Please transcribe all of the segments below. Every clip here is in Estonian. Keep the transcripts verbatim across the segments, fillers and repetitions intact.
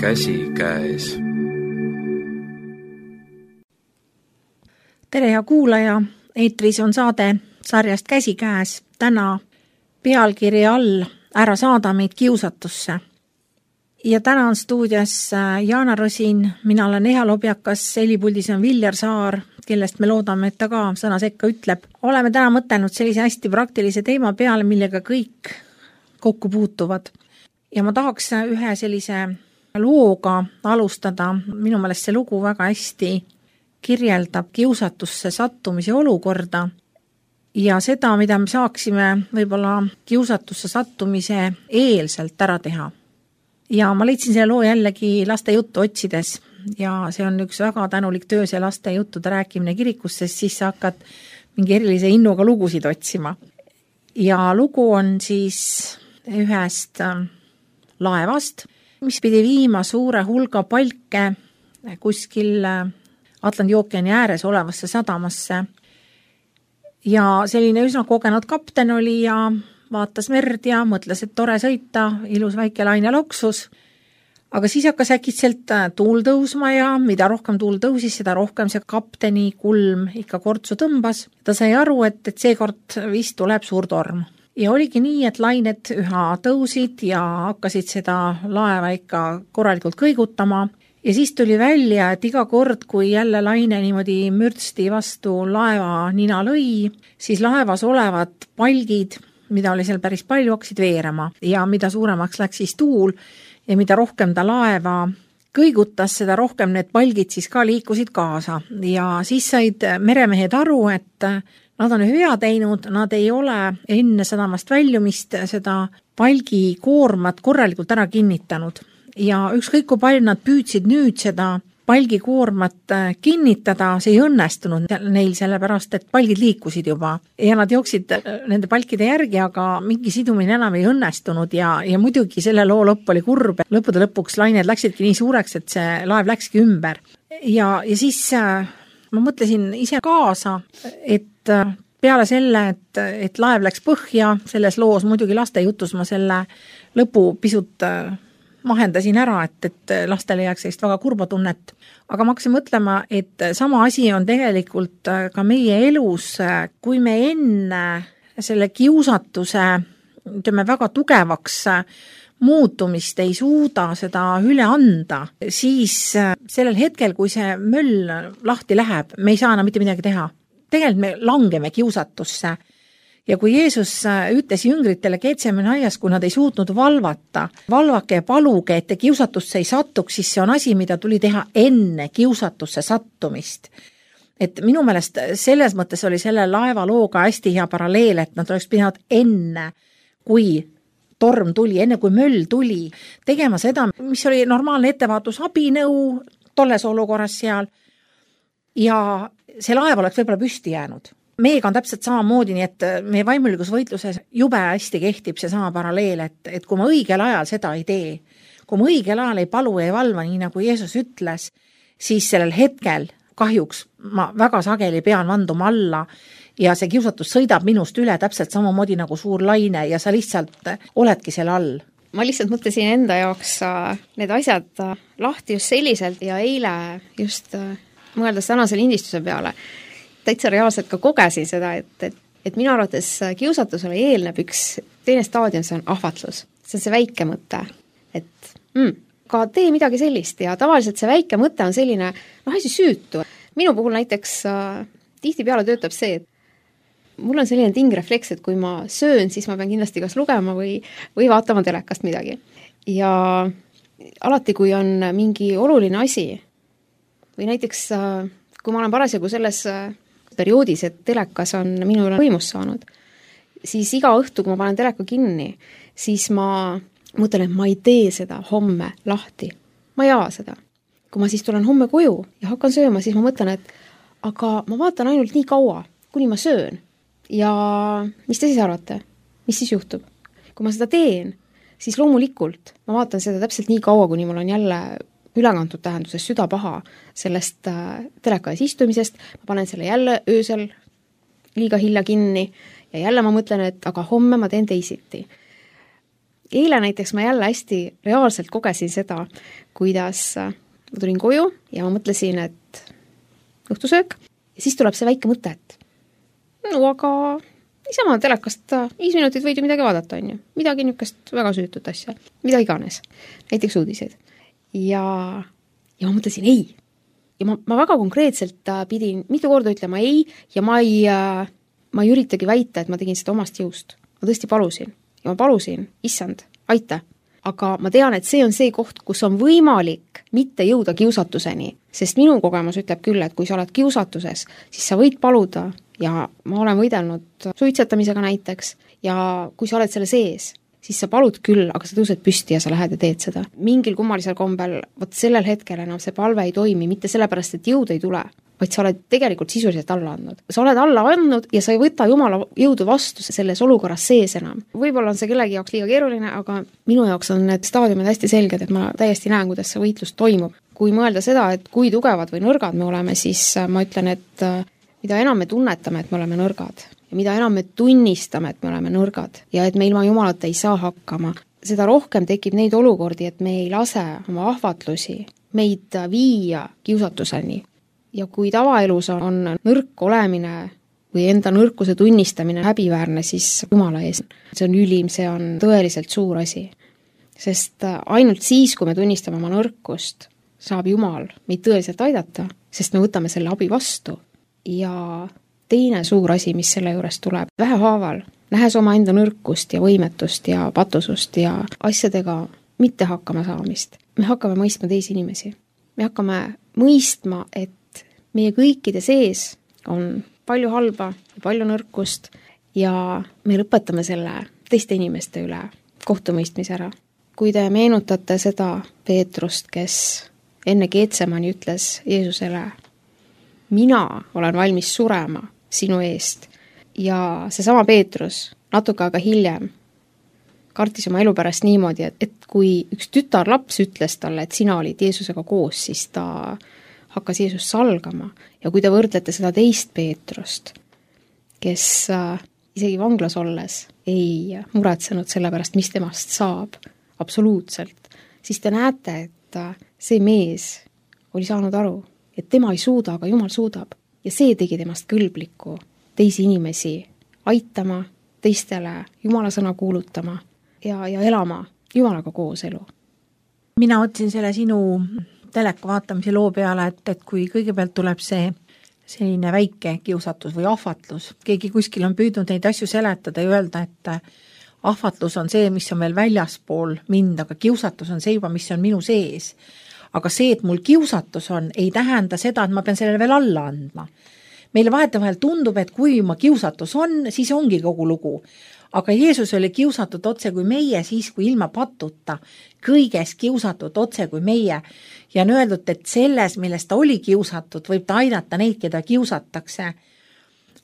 Käsi käes. Tere hea kuulaja, eetris on saade sarjast Käsi käes. Täna pealkiri all Ära saada meid kiusatusse. Ja täna on stuudias Jaana Rosin, mina olen Eha Lobjakas, helipuldis on Viljar Saar, kellest me loodame, et ta ka sõna sekka ütleb. Oleme täna mõtelnud sellise hästi praktilise teema peale, millega kõik kokku puutuvad. Ja ma tahaks ühe sellise looga alustada. Minu meelest see lugu väga hästi kirjeldab kiusatusse sattumise olukorda ja seda, mida me saaksime võib-olla kiusatusse sattumise eelselt ära teha. Ja ma leidsin selle loo jällegi laste juttu otsides ja see on üks väga tänulik töö, see laste juttude rääkimine kirikus, sest siis sa hakkad mingi erilise innuga lugusid otsima. Ja lugu on siis ühest laevast, mis pidi viima suure hulga palke kuskil Atlandi ookeani ääres olevasse sadamasse. Ja selline üsna kogenud kapten oli ja vaatas merd ja mõtles, et tore sõita, ilus väike laine loksus. Aga siis hakkas äkitselt tuul tõusma ja mida rohkem tuul tõusis, seda rohkem see kapteni kulm ikka kortsu tõmbas. Ta sai aru, et, et seekord vist tuleb suur torm. Ja oligi nii, et lained üha tõusid ja hakkasid seda laeva ikka korralikult kõigutama. Ja siis tuli välja, et iga kord, kui jälle laine niimoodi mürtsti vastu laeva nina lõi, siis laevas olevad palgid, mida oli seal päris palju, hakkasid veerema. Ja mida suuremaks läks siis tuul ja mida rohkem ta laeva kõigutas, seda rohkem need palgid siis ka liikusid kaasa. Ja siis said meremehed aru, et nad on ühe vea teinud, nad ei ole enne sadamast väljumist seda palgi koormat korralikult ära kinnitanud. Ja ükskõik kui palju nad püüdsid nüüd seda palgi koormat kinnitada, see ei õnnestunud neil sellepärast, et palgid liikusid juba. Ja nad jooksid nende palkide järgi, aga mingi sidumine enam ei õnnestunud ja, ja muidugi selle loo lõpp oli kurb. Lõppude lõpuks lained läksidki nii suureks, et see laev läkski ümber. Ja, ja siis ma mõtlesin ise kaasa, et peale selle, et, et laev läks põhja, selles loos muidugi laste jutus ma selle lõpu pisut mahendasin ära, et, et lastele jääks sellist väga kurba tunnet. Aga ma hakkasin mõtlema, et sama asi on tegelikult ka meie elus, kui me enne selle kiusatuse ütleme, väga tugevaks muutumist ei suuda seda üle anda, siis sellel hetkel, kui see möll lahti läheb, me ei saa enam mitte midagi teha. Tegelikult me langeme kiusatusse. Ja kui Jeesus ütles jüngritele Getsemani aias, kui nad ei suutnud valvata, valvake ja paluge, et te kiusatusse ei sattuks, siis see on asi, mida tuli teha enne kiusatusse sattumist. Et minu meelest selles mõttes oli selle laeva looga hästi hea paralleel, et nad oleks pidanud enne, kui torm tuli, enne kui möll tuli, tegema seda, mis oli normaalne ettevaatus abinõu tolles olukorras seal ja see laev oleks võib-olla püsti jäänud. Meiega on täpselt samamoodi, nii et meie vaimulikus võitluses jube hästi kehtib see sama paralleel, et, et kui ma õigel ajal seda ei tee, kui ma õigel ajal ei palu ja ei valva, nii nagu Jeesus ütles, siis sellel hetkel kahjuks ma väga sageli pean vanduma alla ja see kiusatus sõidab minust üle täpselt samamoodi nagu suur laine ja sa lihtsalt oledki selle all. Ma lihtsalt mõtlesin enda jaoks need asjad lahti just selliselt ja eile just mõeldes tänase lindistuse peale, täitsa reaalselt ka kogesin seda, et, et, et minu arvates kiusatusele eelneb üks teine staadion, see on ahvatlus. See on see väike mõte, et mm, ka tee midagi sellist ja tavaliselt see väike mõte on selline, noh, asi süütu. Minu puhul näiteks äh, tihtipeale töötab see, et mul on selline tingrefleks, et kui ma söön, siis ma pean kindlasti kas lugema või, või vaatama telekast midagi. Ja alati, kui on mingi oluline asi või näiteks äh, kui ma olen parasjagu selles äh, perioodis, et telekas on minu üle võimust saanud, siis iga õhtu, kui ma panen teleka kinni, siis ma mõtlen, et ma ei tee seda homme lahti. Ma ei ava seda. Kui ma siis tulen homme koju ja hakkan sööma, siis ma mõtlen, et aga ma vaatan ainult nii kaua, kuni ma söön. Ja mis te siis arvate? Mis siis juhtub? Kui ma seda teen, siis loomulikult ma vaatan seda täpselt nii kaua, kuni mul on jälle ülekantud tähenduses süda paha sellest äh, telekas istumisest, ma panen selle jälle öösel liiga hilja kinni ja jälle ma mõtlen, et aga homme ma teen teisiti. eile näiteks ma jälle hästi reaalselt kogesin seda, kuidas ma tulin koju ja ma mõtlesin, et õhtusöök ja siis tuleb see väike mõte, et no aga niisama telekast viis minutit võid ju midagi vaadata, on ju. Midagi niisugust väga süütut asja, mida iganes, näiteks uudiseid. Ja, ja ma mõtlesin ei. Ja ma, ma väga konkreetselt pidin mitu korda ütlema ei ja ma ei, ma ei üritagi väita, et ma tegin seda omast jõust. Ma tõesti palusin ja ma palusin, issand, aita. Aga ma tean, et see on see koht, kus on võimalik mitte jõuda kiusatuseni, sest minu kogemus ütleb küll, et kui sa oled kiusatuses, siis sa võid paluda ja ma olen võidelnud suitsetamisega näiteks ja kui sa oled selle sees, siis sa palud küll, aga sa tõused püsti ja sa lähed ja teed seda. Mingil kummalisel kombel, võt sellel hetkel enam see palve ei toimi, mitte sellepärast, et jõud ei tule, vaid sa oled tegelikult sisuliselt alla andnud. Sa oled alla andnud ja sa ei võta Jumala jõudu vastu selles olukorras sees enam. Võib-olla on see kellegi jaoks liiga keeruline, aga minu jaoks on need staadiumid hästi selged, et ma täiesti näen, kuidas see võitlus toimub. Kui mõelda seda, et kui tugevad või nõrgad me oleme, siis ma ütlen, et mida enam me tunnetame, et me oleme nõrgad ja mida enam me tunnistame, et me oleme nõrgad ja et me ilma Jumalata ei saa hakkama, seda rohkem tekib neid olukordi, et me ei lase oma ahvatlusi meid viia kiusatuseni. Ja kui tavaelus on nõrk olemine või enda nõrkuse tunnistamine häbiväärne, siis Jumala ees. See on ülim, see on tõeliselt suur asi. Sest ainult siis, kui me tunnistame oma nõrkust, saab Jumal meid tõeliselt aidata, sest me võtame selle abi vastu. Ja teine suur asi, mis selle juures tuleb, vähehaaval, nähes oma enda nõrkust ja võimetust ja patusust ja asjadega mitte hakkama saamist, me hakkame mõistma teisi inimesi. Me hakkame mõistma, et meie kõikide sees on palju halba ja palju nõrkust ja me lõpetame selle teiste inimeste üle kohtumõistmise ära. Kui te meenutate seda Peetrust, kes enne Getsemani ütles Jeesusele, mina olen valmis surema sinu eest ja seesama Peetrus natuke aega hiljem kartis oma elu pärast niimoodi, et, et kui üks tütarlaps ütles talle, et sina olid Jeesusega koos, siis ta hakkas Jeesus salgama ja kui te võrdlete seda teist Peetrust, kes äh, isegi vanglas olles ei muretsenud selle pärast, mis temast saab, absoluutselt, siis te näete, et äh, see mees oli saanud aru, et tema ei suuda, aga Jumal suudab ja see tegi temast kõlbliku teisi inimesi aitama, teistele Jumala sõna kuulutama ja, ja elama Jumalaga koos elu. Mina otsin selle sinu teleka vaatamise loo peale, et, et kui kõigepealt tuleb see selline väike kiusatus või ahvatlus, keegi kuskil on püüdnud neid asju seletada ja öelda, et ahvatlus on see, mis on veel väljaspool mind, aga kiusatus on see juba, mis on minu sees. Aga see, et mul kiusatus on, ei tähenda seda, et ma pean sellele veel alla andma. Meile vahetevahel tundub, et kui ma kiusatus on, siis ongi kogu lugu. Aga Jeesus oli kiusatud otse kui meie, siis kui ilma patuta, kõiges kiusatud otse kui meie. Ja on öeldud, et selles, milles ta oli kiusatud, võib ta aidata neid, keda kiusatakse.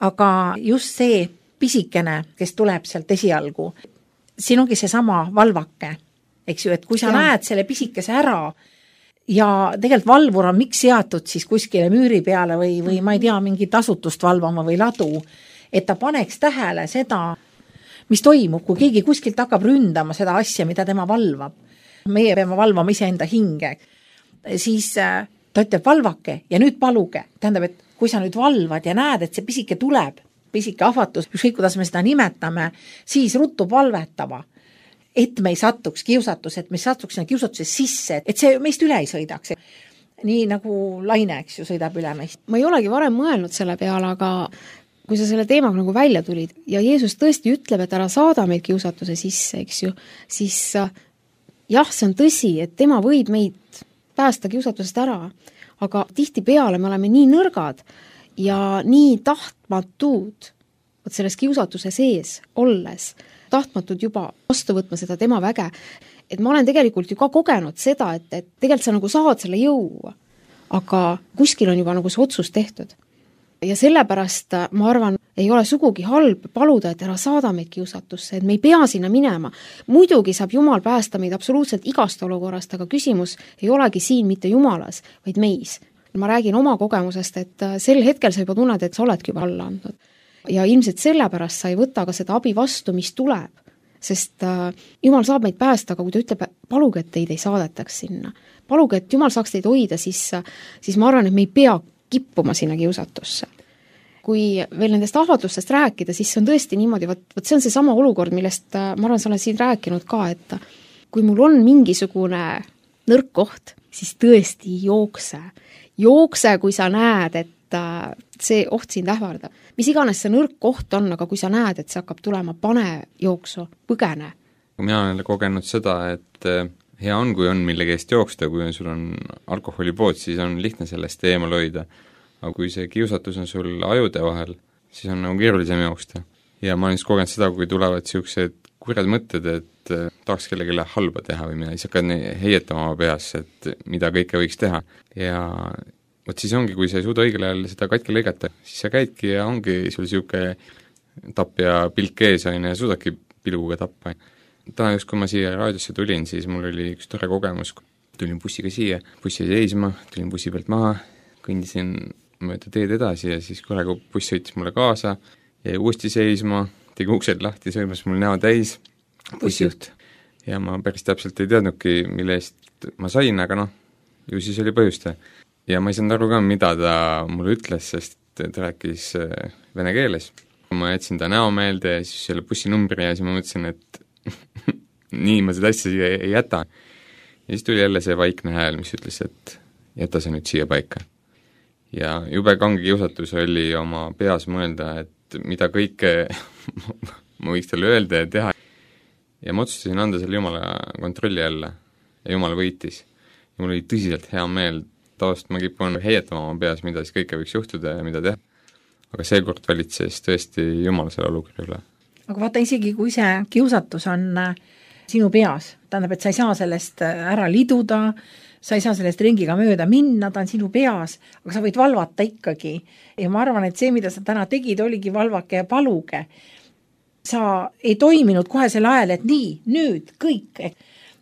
Aga just see pisikene, kes tuleb sealt esialgu, siin ongi see sama valvake, eks ju, et kui sa ja. näed selle pisikese ära ja tegelikult valvur on miks seatud siis kuskile müüri peale või, või ma ei tea, mingit asutust valvama või ladu, et ta paneks tähele seda, mis toimub, kui keegi kuskilt hakkab ründama seda asja, mida tema valvab. Meie peame valvama iseenda hinge. Siis ta ütleb valvake ja nüüd paluge. Tähendab, et kui sa nüüd valvad ja näed, et see pisike tuleb, pisike ahvatus, ükskõik kuidas me seda nimetame, siis ruttu valvetama, et me ei satuks kiusatus, et me ei satuks sinna kiusatuse sisse, et see meist üle ei sõidaks. Nii nagu laine, eks ju, sõidab üle meist. Ma ei olegi varem mõelnud selle peale, aga kui sa selle teemaga nagu välja tulid ja Jeesus tõesti ütleb, et ära saada meid kiusatuse sisse, eks ju, siis jah, see on tõsi, et tema võib meid päästa kiusatusest ära, aga tihti peale me oleme nii nõrgad ja nii tahtmatud, et selles kiusatuse sees olles, tahtmatud juba vastu võtma seda tema väge, et ma olen tegelikult ju ka kogenud seda, et, et tegelikult sa nagu saad selle jõu, aga kuskil on juba nagu see otsus tehtud. Ja sellepärast, ma arvan, ei ole sugugi halb paluda, et ära saada meid kiusatusse, et me ei pea sinna minema. Muidugi saab Jumal päästa meid absoluutselt igast olukorrast, aga küsimus ei olegi siin mitte Jumalas, vaid meis. Ma räägin oma kogemusest, et sel hetkel sa juba tunned, et sa oledki juba alla andnud. Ja ilmselt sellepärast sa ei võta ka seda abi vastu, mis tuleb. sest äh, Jumal saab meid päästa, aga kui ta ütleb, paluge, et teid ei saadetaks sinna, paluge, et Jumal saaks teid hoida, siis, siis ma arvan, et me ei pea kippuma sinna kiusatusse. Kui veel nendest ahvatlustest rääkida, siis see on tõesti niimoodi, võt, võt see on see sama olukord, millest ma arvan, sa olen siin rääkinud ka, et kui mul on mingisugune nõrk koht, siis tõesti jookse. Jookse, kui sa näed, et see oht sind ähvardab. Mis iganes see nõrk koht on, aga kui sa näed, et see hakkab tulema, pane jooksu, põgene. Mina olen kogenud seda, et hea on, kui on mille eest jooksta, kui sul on alkoholipood, siis on lihtne sellest eemal hoida. Aga kui see kiusatus on sul ajude vahel, siis on nagu keerulisem jooksta. Ja ma olen just kogenud seda, kui tulevad siuksed kurjad mõtted, et tahaks kellegile halba teha või mida, siis hakkad heietama oma peas, et mida kõike võiks teha. Ja võt siis ongi, kui sa ei suuda õigel ajal seda katki lõigata, siis sa käidki ja ongi sul siuke tapp ja pilk ees on ja suudadki pilguga tappa. Täna just, kui ma siia raadiosse tulin, siis mul oli üks tore kogemus, tulin bussiga siia, bussi seisma, tulin bussi pealt maha, kõndisin mööda teed edasi ja siis korraga buss sõitis mulle kaasa, jäi uuesti seisma, tegi uksed lahti, sõimas mul näo täis, bussijuht. Ja ma päris täpselt ei teadnudki, mille eest ma sain, aga noh, ju siis oli põhjuste. Ja ma ei saanud aru ka, mida ta mulle ütles, sest ta rääkis vene keeles. Ma jätsin ta näo meelde ja siis selle bussinumbri ja siis ma mõtlesin, et nii ma seda asja siia ei jäta. Ja siis tuli jälle see vaikne hääl, mis ütles, et jäta see nüüd siia paika. Ja jube kange kiusatus oli oma peas mõelda, et mida kõike ma võiks talle öelda ja teha. Ja ma otsustasin anda selle Jumala kontrolli jälle ja Jumal võitis. Ja mul oli tõsiselt hea meel, taost ma kipun heietama oma peas, mida siis kõike võiks juhtuda ja mida teha. Aga seekord valitses tõesti Jumal selle olukorra üle. Aga vaata, isegi kui see kiusatus on sinu peas, tähendab, et sa ei saa sellest ära liduda, sa ei saa sellest ringiga mööda minna, ta on sinu peas, aga sa võid valvata ikkagi. Ja ma arvan, et see, mida sa täna tegid, oligi valvake ja paluge. Sa ei toiminud kohe selle ajal, et nii, nüüd, kõik,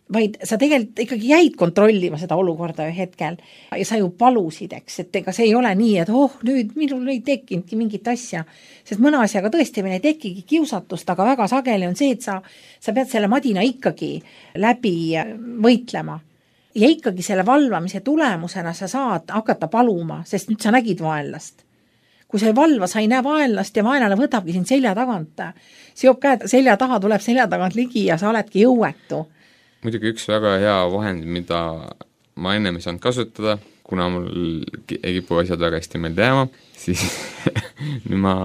vaid sa tegelikult ikkagi jäid kontrollima seda olukorda ühe hetkel ja sa ju palusid, eks, et ega see ei ole nii, et oh, nüüd minul ei tekkinudki mingit asja, sest mõne asjaga tõesti meil ei tekigi kiusatust, aga väga sageli on see, et sa, sa pead selle madina ikkagi läbi võitlema. Ja ikkagi selle valvamise tulemusena sa saad hakata paluma, sest nüüd sa nägid vaenlast. Kui sa ei valva, sa ei näe vaenlast ja vaenlane võtabki sind selja tagant. Seob käed selja taha, tuleb selja tagant ligi ja sa oledki jõuetu. Muidugi üks väga hea vahend, mida ma ennem ei saanud kasutada, kuna mul ei kipu asjad väga hästi meelde jääma, siis nüüd ma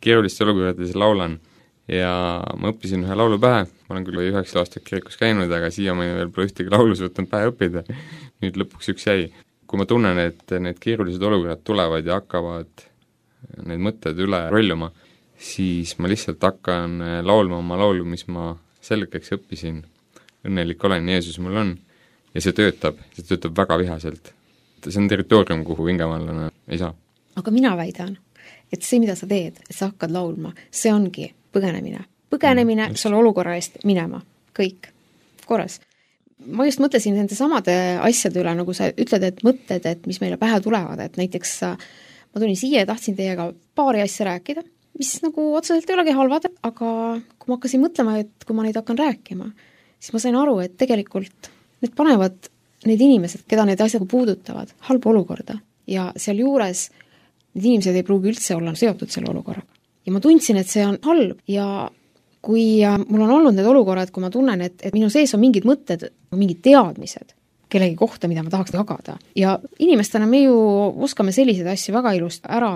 keeruliste olukordades laulan. Ja ma õppisin ühe laulu pähe, ma olen küll üheksa aastat kirikus käinud, aga siiamaani veel pole ühtegi laulus võtnud pähe õppida. Nüüd lõpuks üks jäi. Kui ma tunnen, et need keerulised olukorrad tulevad ja hakkavad need mõtted üle rolluma, siis ma lihtsalt hakkan laulma oma laulu, mis ma selgeks õppisin. Õnnelik olen, Jeesus mul on. Ja see töötab, see töötab väga vihaselt. See on territoorium, kuhu vingemallane ei saa. Aga mina väidan, et see, mida sa teed, et sa hakkad laulma, see ongi põgenemine. Põgenemine mm, selle olukorra eest minema. Kõik. Korras. Ma just mõtlesin nende samade asjade üle, nagu sa ütled, et mõtted, et mis meile pähe tulevad, et näiteks ma tulin siia ja tahtsin teiega paari asja rääkida, mis nagu otseselt ei olegi halvad, aga kui ma hakkasin mõtlema, et kui ma neid hakkan rääkima, siis ma sain aru, et tegelikult need panevad need inimesed, keda need asjad puudutavad, halba olukorda. Ja seal juures need inimesed ei pruugi üldse olla seotud selle olukorraga. Ja ma tundsin, et see on halb ja kui mul on olnud need olukorrad, kui ma tunnen, et, et minu sees on mingid mõtted, mingid teadmised kellegi kohta, mida ma tahaks jagada. Ja inimestena me ju oskame selliseid asju väga ilust ära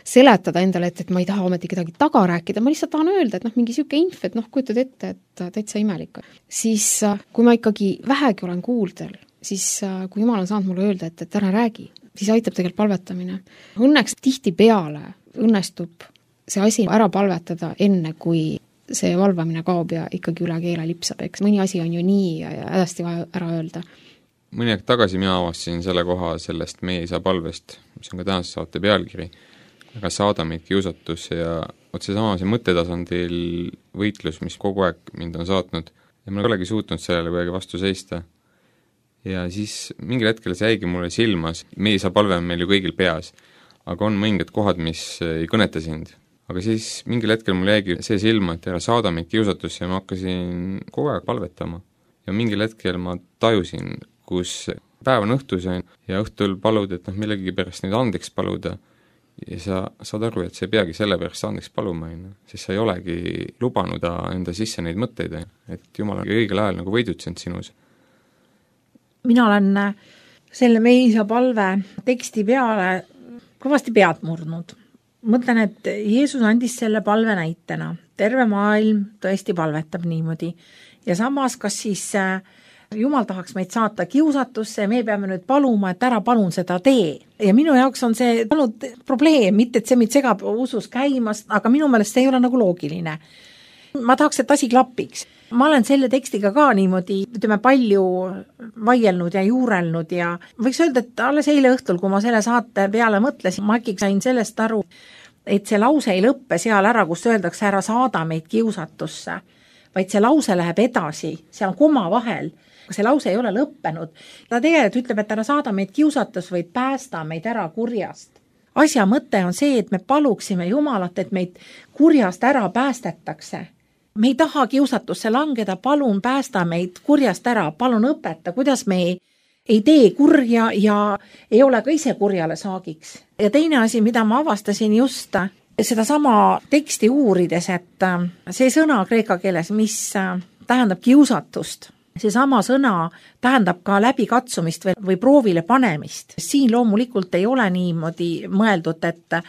seletada endale, et, et ma ei taha ometi kedagi taga rääkida, ma lihtsalt tahan öelda, et noh, mingi siuke inf, et noh, kujutad ette, et täitsa imelik. Siis kui ma ikkagi vähegi olen kuuldel, siis kui Jumal on saanud mulle öelda, et, et ära räägi, siis aitab tegelikult palvetamine. Õnneks tihti peale õnnestub see asi ära palvetada enne, kui see valvamine kaob ja ikkagi üle keele lipsab, eks mõni asi on ju nii ja hädasti vaja ära öelda. Mõni aeg tagasi mina avastasin selle koha sellest meie isa palvest, mis on ka tänase saate pealkiri, aga saada meid kiusatus ja otse sama see mõttetasandil võitlus, mis kogu aeg mind on saatnud ja ma ei olegi suutnud sellele kuidagi vastu seista. Ja siis mingil hetkel see jäigi mulle silmas, meie isa palve on meil ju kõigil peas, aga on mõningad kohad, mis ei kõneta sind. aga siis mingil hetkel mul jäigi see silma, et ära saada meid kiusatusse ja ma hakkasin kogu aeg palvetama. Ja mingil hetkel ma tajusin, kus päev on õhtus ja õhtul palud, et noh, millegi pärast neid andeks paluda ja sa saad aru, et sa ei peagi selle pärast andeks paluma, sest sa ei olegi lubanud enda sisse neid mõtteid, et Jumal on õigel ajal nagu võidutsenud sinus. Mina olen selle meie isa palve teksti peale kõvasti pead murdnud. Mõtlen, et Jeesus andis selle palve näitena. Terve maailm tõesti palvetab niimoodi. Ja samas, kas siis Jumal tahaks meid saata kiusatusse ja me peame nüüd paluma, et ära palun seda tee. Ja minu jaoks on see olnud probleem, mitte et see meid segab usus käimast, aga minu meelest see ei ole nagu loogiline. Ma tahaks, et asi klapiks. Ma olen selle tekstiga ka niimoodi, ütleme, palju vaielnud ja juurelnud ja võiks öelda, et alles eile õhtul, kui ma selle saate peale mõtlesin, ma äkki sain sellest aru, et see lause ei lõppe seal ära, kus öeldakse ära saada meid kiusatusse, vaid see lause läheb edasi, seal on koma vahel. See lause ei ole lõppenud. Ta tegelikult ütleb, et ära saada meid kiusatus, vaid päästa meid ära kurjast. Asja mõte on see, et me paluksime Jumalat, et meid kurjast ära päästetakse. Me ei taha kiusatusse langeda, palun päästa meid kurjast ära, palun õpeta, kuidas me ei, ei tee kurja ja ei ole ka ise kurjale saagiks. Ja teine asi, mida ma avastasin just seda sama teksti uurides, et see sõna kreeka keeles, mis tähendab kiusatust, see sama sõna tähendab ka läbikatsumist või, või proovile panemist. Siin loomulikult ei ole niimoodi mõeldud, et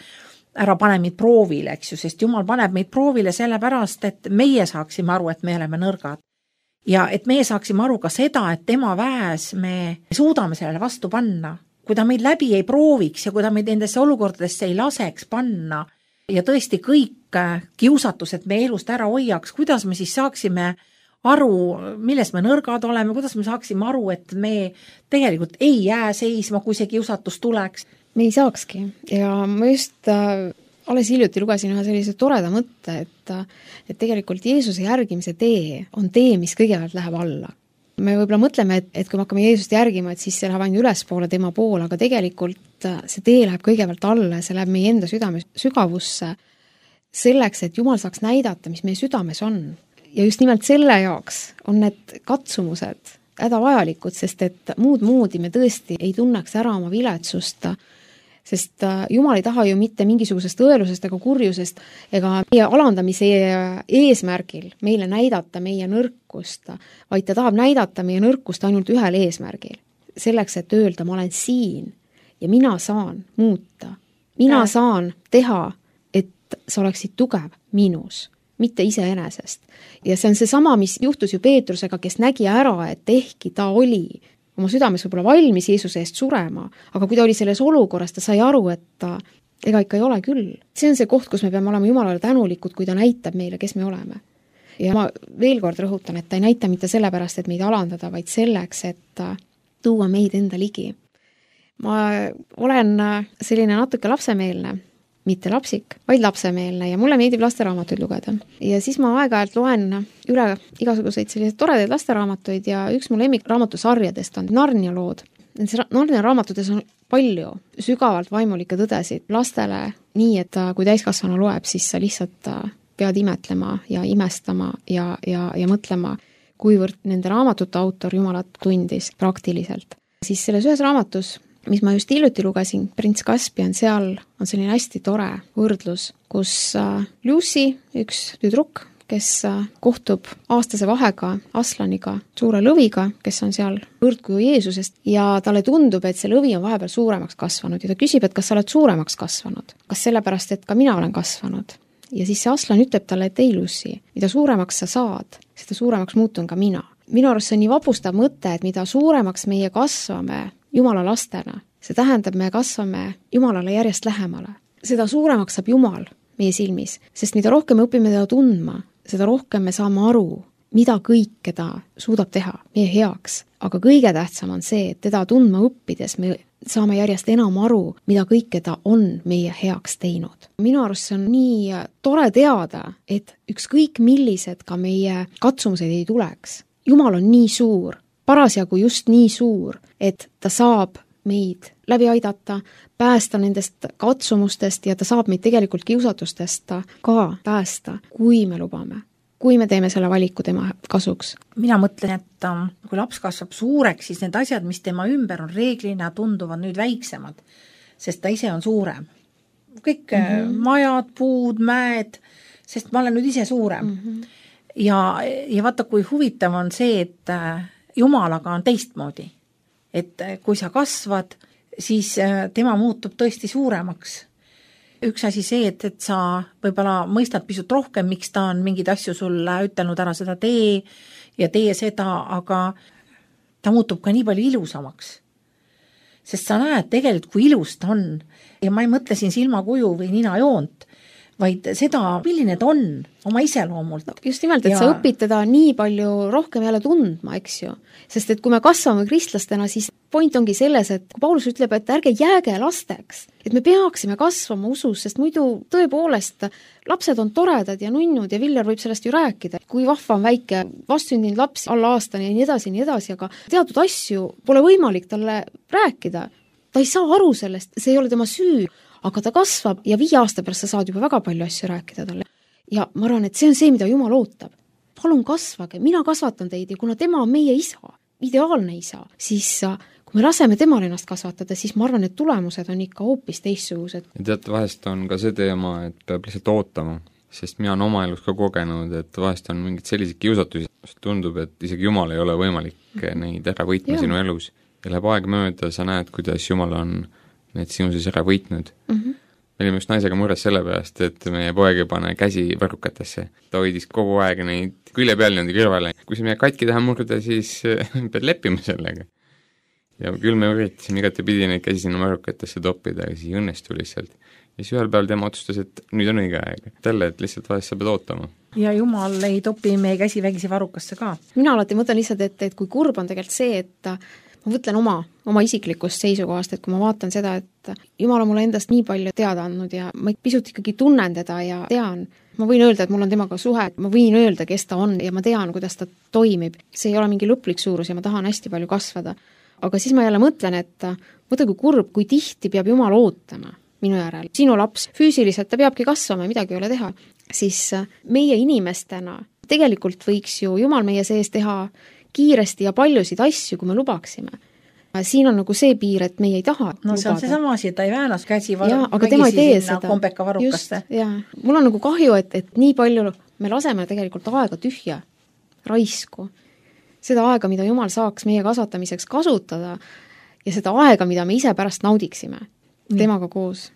ära pane meid proovile, eks ju, sest Jumal paneb meid proovile sellepärast, et meie saaksime aru, et me oleme nõrgad. Ja et meie saaksime aru ka seda, et tema väes me suudame sellele vastu panna. Kui ta meid läbi ei prooviks ja kui ta meid nendesse olukordadesse ei laseks panna ja tõesti kõik kiusatused me elust ära hoiaks, kuidas me siis saaksime aru, milles me nõrgad oleme, kuidas me saaksime aru, et me tegelikult ei jää seisma, kui see kiusatus tuleks. Me ei saakski ja ma just äh, alles hiljuti lugesin ühe sellise toreda mõtte, et, et tegelikult Jeesuse järgimise tee on tee, mis kõigepealt läheb alla. Me võib-olla mõtleme, et, et kui me hakkame Jeesust järgima, et siis see läheb ainult ülespoole tema poole, aga tegelikult see tee läheb kõigepealt alla, see läheb meie enda südame sügavusse selleks, et Jumal saaks näidata, mis meie südames on. Ja just nimelt selle jaoks on need katsumused hädavajalikud, sest et muud moodi me tõesti ei tunneks ära oma viletsust, sest Jumal ei taha ju mitte mingisugusest õelusest ega kurjusest ega meie alandamise eesmärgil meile näidata meie nõrkust, vaid ta tahab näidata meie nõrkust ainult ühel eesmärgil. Selleks, et öelda, ma olen siin ja mina saan muuta. Mina ja. saan teha, et sa oleksid tugev minus, mitte iseenesest. Ja see on see sama, mis juhtus ju Peetrusega, kes nägi ära, et ehkki ta oli oma südames võib-olla valmis Jeesuse eest surema, aga kui ta oli selles olukorras, ta sai aru, et ta, ega ikka ei ole küll. See on see koht, kus me peame olema Jumalale tänulikud, kui ta näitab meile, kes me oleme. Ja ma veel kord rõhutan, et ta ei näita mitte sellepärast, et meid alandada, vaid selleks, et tuua meid enda ligi. Ma olen selline natuke lapsemeelne, mitte lapsik, vaid lapsemeelne ja mulle meeldib lasteraamatuid lugeda. Ja siis ma aeg-ajalt loen üle igasuguseid selliseid toredaid lasteraamatuid ja üks mu lemmikraamatusarjadest on Narnia lood. Narnia raamatutes on palju sügavalt vaimulikke tõdesid lastele nii, et kui täiskasvanu loeb, siis sa lihtsalt pead imetlema ja imestama ja, ja, ja mõtlema, kuivõrd nende raamatute autor Jumalat tundis praktiliselt. Siis selles ühes raamatus, mis ma just hiljuti lugesin, Prints Caspian, seal on selline hästi tore võrdlus, kus Lucy, üks tüdruk, kes kohtub aastase vahega Aslaniga, suure lõviga, kes on seal võrdkuju Jeesusest ja talle tundub, et see lõvi on vahepeal suuremaks kasvanud ja ta küsib, et kas sa oled suuremaks kasvanud, kas sellepärast, et ka mina olen kasvanud. Ja siis see Aslan ütleb talle, et ei Lucy, mida suuremaks sa saad, seda suuremaks muutun ka mina. Minu arust see on nii vapustav mõte, et mida suuremaks meie kasvame Jumala lastena, see tähendab, me kasvame Jumalale järjest lähemale. Seda suuremaks saab Jumal meie silmis, sest mida rohkem me õpime teda tundma, seda rohkem me saame aru, mida kõike ta suudab teha meie heaks. Aga kõige tähtsam on see, et teda tundma õppides me saame järjest enam aru, mida kõike ta on meie heaks teinud. Minu arust see on nii tore teada, et ükskõik millised ka meie katsumused ei tuleks. Jumal on nii suur, parasjagu just nii suur, et ta saab meid läbi aidata, päästa nendest katsumustest ja ta saab meid tegelikult kiusatustest ka päästa, kui me lubame, kui me teeme selle valiku tema kasuks. Mina mõtlen, et kui laps kasvab suureks, siis need asjad, mis tema ümber on reeglina, tunduvad nüüd väiksemad, sest ta ise on suurem. Kõik mm-hmm. majad, puud, mäed, sest ma olen nüüd ise suurem. Mm-hmm. Ja, ja vaata, kui huvitav on see, et Jumalaga on teistmoodi. Et kui sa kasvad, siis tema muutub tõesti suuremaks. Üks asi see, et, et sa võib-olla mõistad pisut rohkem, miks ta on mingid asju sulle ütelnud ära seda tee ja tee seda, aga ta muutub ka nii palju ilusamaks. Sest sa näed tegelikult, kui ilus ta on. Ja ma ei mõtle siin silmakuju või ninajoont, vaid seda, milline ta on oma iseloomult. Just nimelt, et ja... sa õpid teda nii palju rohkem jälle tundma, eks ju. Sest et kui me kasvame kristlastena, siis point ongi selles, et kui Paulus ütleb, et ärge jääge lasteks, et me peaksime kasvama usus, sest muidu tõepoolest lapsed on toredad ja nunnud ja Viljar võib sellest ju rääkida. Kui vahva on väike vastsündinud laps alla aastani ja nii edasi, nii edasi, aga teatud asju pole võimalik talle rääkida. Ta ei saa aru sellest, see ei ole tema süü, aga ta kasvab ja viie aasta pärast sa saad juba väga palju asju rääkida talle. Ja ma arvan, et see on see, mida Jumal ootab. Palun kasvage, mina kasvatan teid ja kuna tema on meie isa, ideaalne isa, siis kui me laseme temal ennast kasvatada, siis ma arvan, et tulemused on ikka hoopis teistsugused. Ja teate, vahest on ka see teema, et peab lihtsalt ootama, sest mina on oma elus ka kogenud, et vahest on mingid sellised kiusatusi, tundub, et isegi Jumal ei ole võimalik neid ära võitma ja. Sinu elus. Ja läheb aeg mööda, sa näed, kuidas Jumal on need sinu siis ära võitnud. Mm-hmm. Me olime just naisega mures selle pärast, et meie poeg ei pane käsi varrukatesse. Ta hoidis kogu aeg neid külje peal niimoodi kõrvale. Kui see meie katki taha murda, siis pead leppima sellega. Ja küll me üritasime igati pidi neid käsi sinna varrukatesse toppida, aga siis õnnestu lihtsalt. Ja siis ühel päeval tema otsustas, et nüüd on õige aeg. Tälle, et lihtsalt vahest sa pead ootama. Ja Jumal ei topi meie käsi vägisi varrukasse ka. Mina alati mõtlen lihtsalt, et, et kui kurb on tegelikult see, et ma võtlen oma, oma isiklikust seisukohast, et kui ma vaatan seda, et Jumal on mulle endast nii palju teada andnud ja ma pisut ikkagi tunnen teda ja tean, ma võin öelda, et mul on temaga suhe, ma võin öelda, kes ta on ja ma tean, kuidas ta toimib. See ei ole mingi lõplik suurus ja ma tahan hästi palju kasvada. Aga siis ma jälle mõtlen, et mõtle kui kurb, kui tihti peab Jumal ootama minu järel. Sinu laps füüsiliselt, ta peabki kasvama ja midagi ei ole teha. Siis meie inimestena tegelikult võiks ju Jumal meie sees teha kiiresti ja paljusid asju, kui me lubaksime. Siin on nagu see piir, et meie ei taha no see on see sama asi, et ta ei väänas käsi var- ja, aga tema ei tee seda. Kombeka varrukaste. Just, ja. Mul on nagu kahju, et, et nii palju me laseme tegelikult aega tühja, raisku. Seda aega, mida Jumal saaks meie kasvatamiseks kasutada ja seda aega, mida me ise pärast naudiksime mm. temaga koos.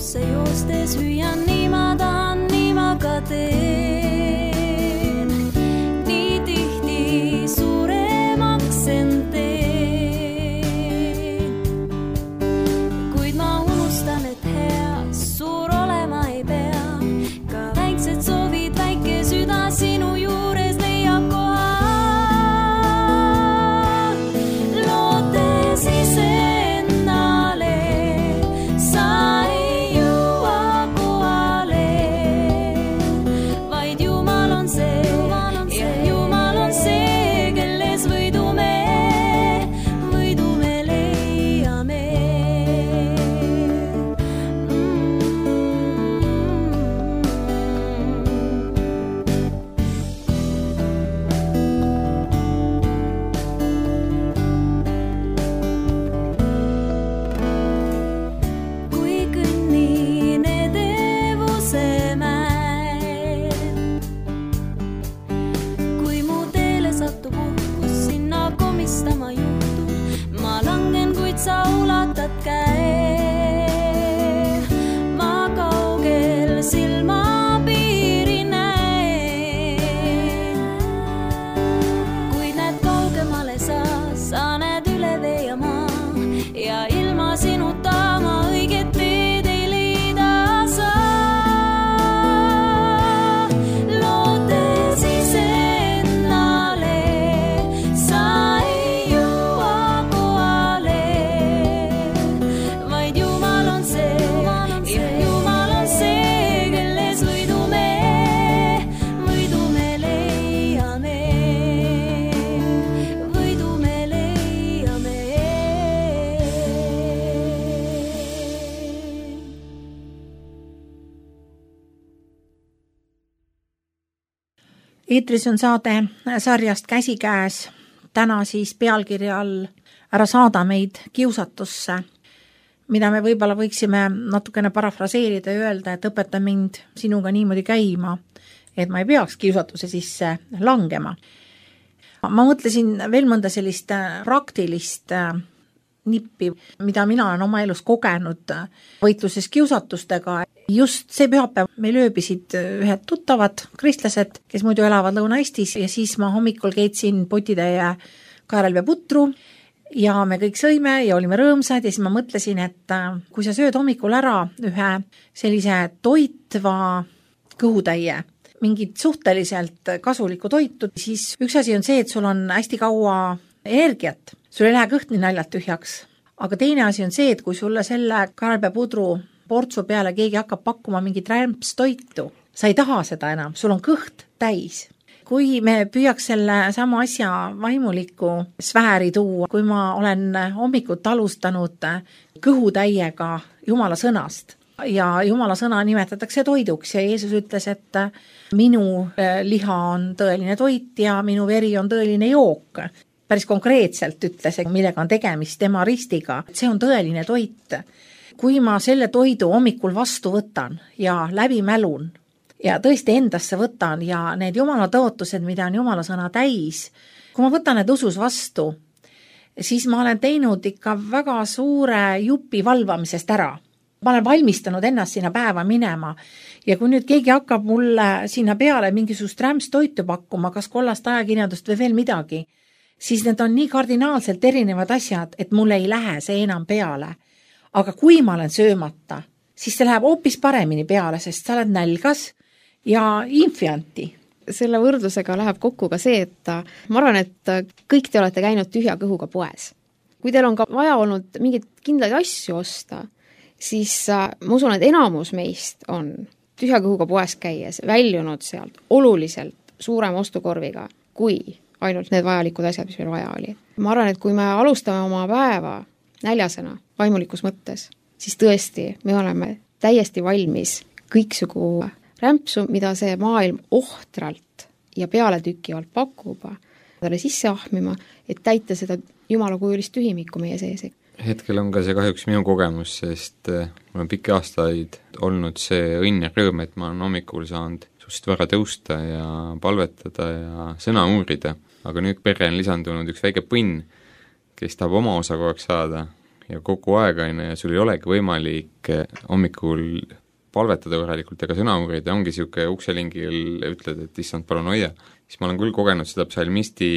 Joostes hüüan, nii ma tahan, nii ma ka teen. Nii tihti suuremaks end teen. Kuid ma unustan, et hea suur olema ei pea. Ka väiksed soovid, väike süda sinu juures leiab koha. Lootes ise endale sa ei jõua koha. eetris on saade sarjast Käsikäes, täna siis pealkirja all Ära saada meid kiusatusse, mida me võib-olla võiksime natukene parafraseerida ja öelda, et õpeta mind sinuga niimoodi käima, et ma ei peaks kiusatuse sisse langema. Ma mõtlesin veel mõnda sellist praktilist nippi, mida mina olen oma elus kogenud võitluses kiusatustega. Just see pühapäev meil ööbisid ühed tuttavad kristlased, kes muidu elavad Lõuna-Eestis, ja siis ma hommikul keetsin potitäie kaerelveeputru ja me kõik sõime ja olime rõõmsad ja siis ma mõtlesin, et kui sa sööd hommikul ära ühe sellise toitva kõhutäie, mingit suhteliselt kasulikku toitu, siis üks asi on see, et sul on hästi kaua energiat, sul ei lähe kõht nii naljalt tühjaks, aga teine asi on see, et kui sulle selle kaerelveepudru portsu peale keegi hakkab pakkuma mingit rämpstoitu, sa ei taha seda enam, sul on kõht täis. Kui me püüaks selle sama asja vaimuliku sfääri tuua, kui ma olen hommikut alustanud kõhutäiega Jumala sõnast ja Jumala sõna nimetatakse toiduks ja Jeesus ütles, et minu liha on tõeline toit ja minu veri on tõeline jook. Päris konkreetselt ütles, millega on tegemist tema ristiga, et see on tõeline toit. Kui ma selle toidu hommikul vastu võtan ja läbi mälun, ja tõesti endasse võtan ja need Jumala tõotused, mida on Jumala sõna täis, kui ma võtan need usus vastu, siis ma olen teinud ikka väga suure jupi valvamisest ära. Ma olen valmistanud ennast sinna päeva minema ja kui nüüd keegi hakkab mulle sinna peale mingisugust rämpstoitu pakkuma, kas kollast ajakirjandust või veel midagi, siis need on nii kardinaalselt erinevad asjad, et mul ei lähe see enam peale. Aga kui ma olen söömata, siis see läheb hoopis paremini peale, sest sa oled nälgas ja infianti. Selle võrdlusega läheb kokku ka see, et ma arvan, et kõik te olete käinud tühja kõhuga poes. Kui teil on ka vaja olnud mingeid kindlaid asju osta, siis ma usun, et enamus meist on tühja kõhuga poes käies väljunud sealt oluliselt suurema ostukorviga, kui ainult need vajalikud asjad, mis meil vaja oli. Ma arvan, et kui me alustame oma päeva näljasena vaimulikus mõttes, siis tõesti me oleme täiesti valmis kõiksugu rämpsu, mida see maailm ohtralt ja pealetükkivalt pakub, talle sisse ahmima, et täita seda Jumala kujulist tühimikku meie sees. Hetkel on ka see kahjuks minu kogemus, sest mul on pikki aastaid olnud see õnn ja rõõm, et ma olen hommikul saanud suhteliselt vara tõusta ja palvetada ja sõna uurida, aga nüüd perre on lisandunud üks väike põnn, kes tahab oma osa kogu aeg saada ja kogu aeg aina ja sul ei olegi võimalik hommikul palvetada korralikult ega sõna uurida, ongi siuke ukselingil ütled, et issand, palun hoia. Siis ma olen küll kogenud seda psalmisti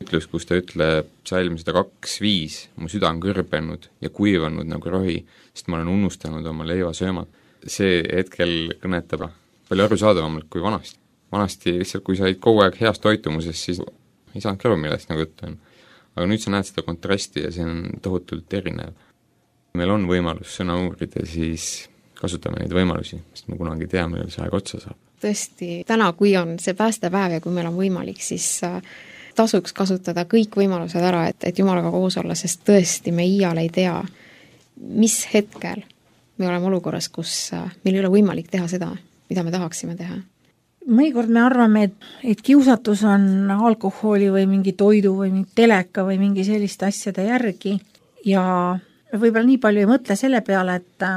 ütlus, kus ta ütleb psalm sada kaks viis, mu süda on kõrbenud ja kuivanud nagu rohi, sest ma olen unustanud oma leiva söömat. See hetkel kõnetab palju arusaadavamalt kui vanasti. Vanasti lihtsalt, kui sa olid kogu aeg heast toitumuses, siis ei saanud kõrva, millest nagu juttu on. Aga nüüd sa näed seda kontrasti ja see on tohutult erinev. Meil on võimalus sõna uurida, siis kasutame neid võimalusi, sest me kunagi tea, millal see aeg otsa saab. Tõesti, täna, kui on see päästepäev ja kui meil on võimalik, siis tasuks kasutada kõik võimalused ära, et, et Jumalaga koos olla, sest tõesti me iial ei tea, mis hetkel me oleme olukorras, kus meil ei ole võimalik teha seda, mida me tahaksime teha. Mõnikord me arvame, et, et kiusatus on alkoholi või mingi toidu või mingi teleka või mingi selliste asjade järgi ja võib-olla nii palju ei mõtle selle peale, et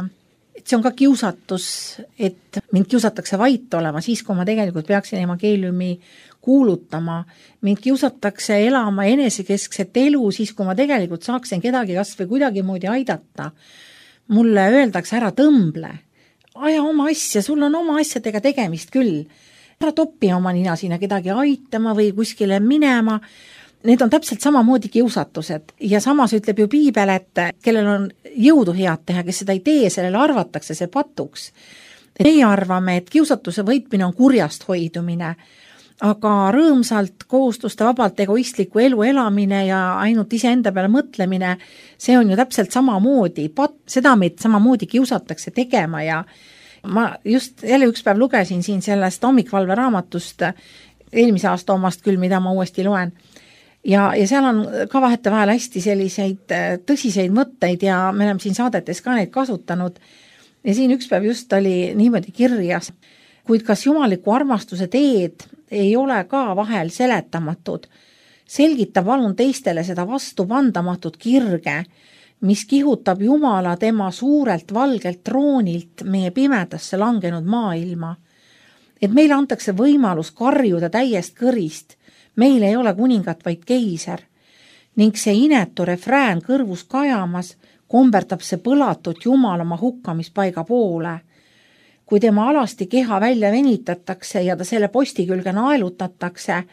et see on ka kiusatus, et mind kiusatakse vait olema, siis kui ma tegelikult peaksin evangeeliumi kuulutama. Mind kiusatakse elama enesekeskset elu, siis kui ma tegelikult saaksin kedagi kas või kuidagi moodi aidata. Mulle öeldakse, ära tõmble, aja oma asja, sul on oma asjadega tegemist küll. Ära topi oma nina sinna kedagi aitama või kuskile minema. Need on täpselt samamoodi kiusatused ja samas ütleb ju piibel, et kellel on jõudu head teha, kes seda ei tee, sellele arvatakse see patuks. Meie arvame, et kiusatuse võitmine on kurjast hoidumine, aga rõõmsalt, kohustuste vabalt egoistliku elu elamine ja ainult iseenda peale mõtlemine, see on ju täpselt samamoodi, pat, seda meid samamoodi kiusatakse tegema ja ma just jälle üks päev lugesin siin sellest hommikvalve raamatust, eelmise aasta omast küll, mida ma uuesti loen, Ja, ja seal on ka vahete vahel hästi selliseid tõsiseid mõtteid ja me oleme siin saadetes ka neid kasutanud. Ja siin üks päev just oli niimoodi kirjas, kuid kas jumaliku armastuse teed ei ole ka vahel seletamatud. Selgita palun teistele seda vastupandamatut kirge, mis kihutab Jumala tema suurelt valgelt troonilt meie pimedasse langenud maailma. Et meile antakse võimalus karjuda täiest kõrist, meil ei ole kuningat, vaid keiser. Ning see inetu refrään kõrvus kajamas komberdab see põlatut Jumal oma hukkamispaiga poole. Kui tema alasti keha välja venitatakse ja ta selle posti külge naelutatakse,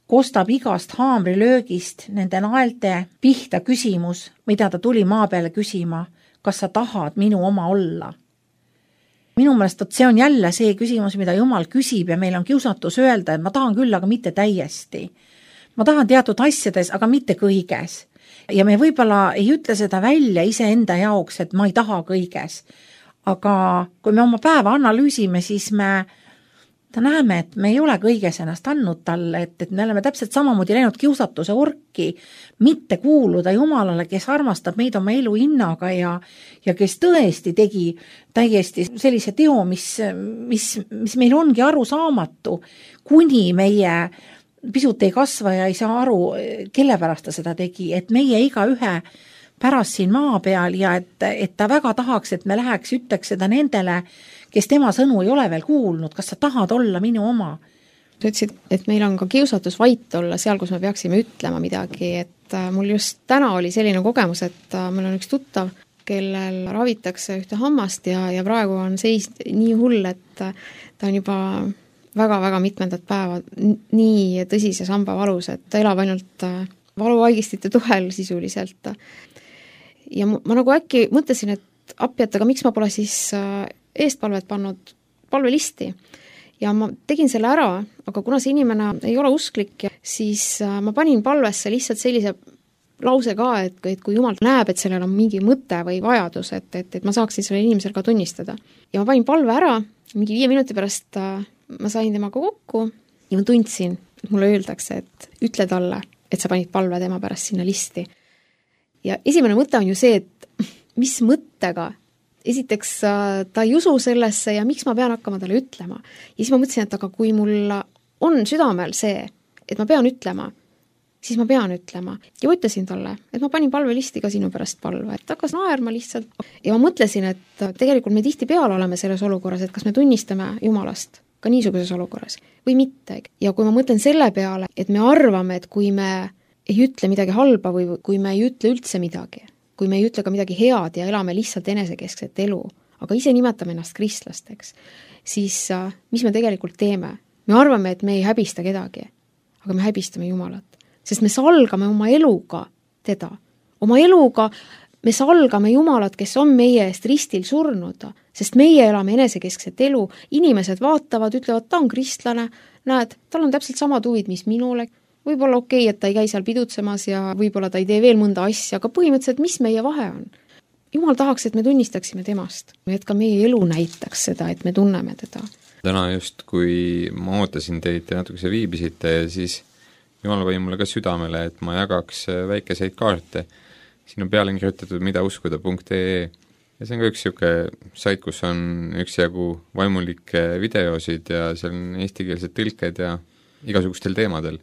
kostab igast haamrilöögist nende naelte pihta küsimus, mida ta tuli maa peale küsima, kas sa tahad minu oma olla. Minu meelest see on jälle see küsimus, mida Jumal küsib ja meil on kiusatus öelda, et ma tahan küll, aga mitte täiesti. Ma tahan teatud asjades, aga mitte kõiges. Ja me võib-olla ei ütle seda välja iseenda jaoks, et ma ei taha kõiges. Aga kui me oma päeva analüüsime, siis me ta näeme, et me ei ole kõiges ennast andnud talle, et, et me oleme täpselt samamoodi läinud kiusatuse orki, mitte kuuluda Jumalale, kes armastab meid oma elu hinnaga ja, ja kes tõesti tegi täiesti sellise teo, mis, mis, mis meil ongi arusaamatu, kuni meie pisut ei kasva ja ei saa aru, kelle pärast ta seda tegi, et meie iga ühe pärast siin maa peal ja et, et ta väga tahaks, et me läheks, ütleks seda nendele, kes tema sõnu ei ole veel kuulnud, kas sa tahad olla minu oma? Sa ütlesid, et meil on ka kiusatus vait olla seal, kus me peaksime ütlema midagi, et mul just täna oli selline kogemus, et mul on üks tuttav, kellel ravitakse ühte hammast ja, ja praegu on seis nii hull, et ta on juba väga-väga mitmendat päeva nii tõsises hambavalus, et ta elab ainult valuvaigistite tuhel sisuliselt. Ja ma, ma nagu äkki mõtlesin, et appi, et aga miks ma pole siis eestpalvet pannud palvelisti ja ma tegin selle ära, aga kuna see inimene ei ole usklik, siis ma panin palvesse lihtsalt sellise lause ka, et, et kui Jumal näeb, et sellel on mingi mõte või vajadus, et, et, et ma saaksin selle inimesel ka tunnistada. Ja ma panin palve ära, mingi viie minuti pärast ma sain temaga kokku ja ma tundsin, et mulle öeldakse, et ütle talle, et sa panid palve tema pärast sinna listi. Ja esimene mõte on ju see, et mis mõttega esiteks ta ei usu sellesse ja miks ma pean hakkama talle ütlema. Ja siis ma mõtlesin, et aga kui mul on südamel see, et ma pean ütlema, siis ma pean ütlema. Ja ütlesin talle, et ma panin palvelisti ka sinu pärast palve, et hakkas naerma lihtsalt. Ja ma mõtlesin, et tegelikult me tihti peal oleme selles olukorras, et kas me tunnistame Jumalast ka niisuguses olukorras või mitte. Ja kui ma mõtlen selle peale, et me arvame, et kui me ei ütle midagi halba või kui me ei ütle üldse midagi, kui me ei ütle ka midagi head ja elame lihtsalt enesekeskset elu, aga ise nimetame ennast kristlasteks, siis mis me tegelikult teeme? Me arvame, et me ei häbista kedagi, aga me häbistame Jumalat, sest me salgame oma eluga teda. Oma eluga me salgame Jumalat, kes on meie eest ristil surnud, sest meie elame enesekeskset elu, inimesed vaatavad, ütlevad, ta on kristlane, näed, tal on täpselt samad huvid, mis minule, võib-olla okei, et ta ei käi seal pidutsemas ja võib-olla ta ei tee veel mõnda asja, aga põhimõtteliselt, mis meie vahe on? Jumal tahaks, et me tunnistaksime temast, et ka meie elu näitaks seda, et me tunneme teda. Täna just, kui ma ootasin teid ja natuke viibisite ja siis Jumal pani mulle ka südamele, et ma jagaks väikeseid kaarte. Siin on peale kirjutatud mida uskuda punkt ee ja see on ka üks siuke sait, kus on üksjagu vaimulikke videosid ja seal on eestikeelsed tõlked ja igasugustel teemadel.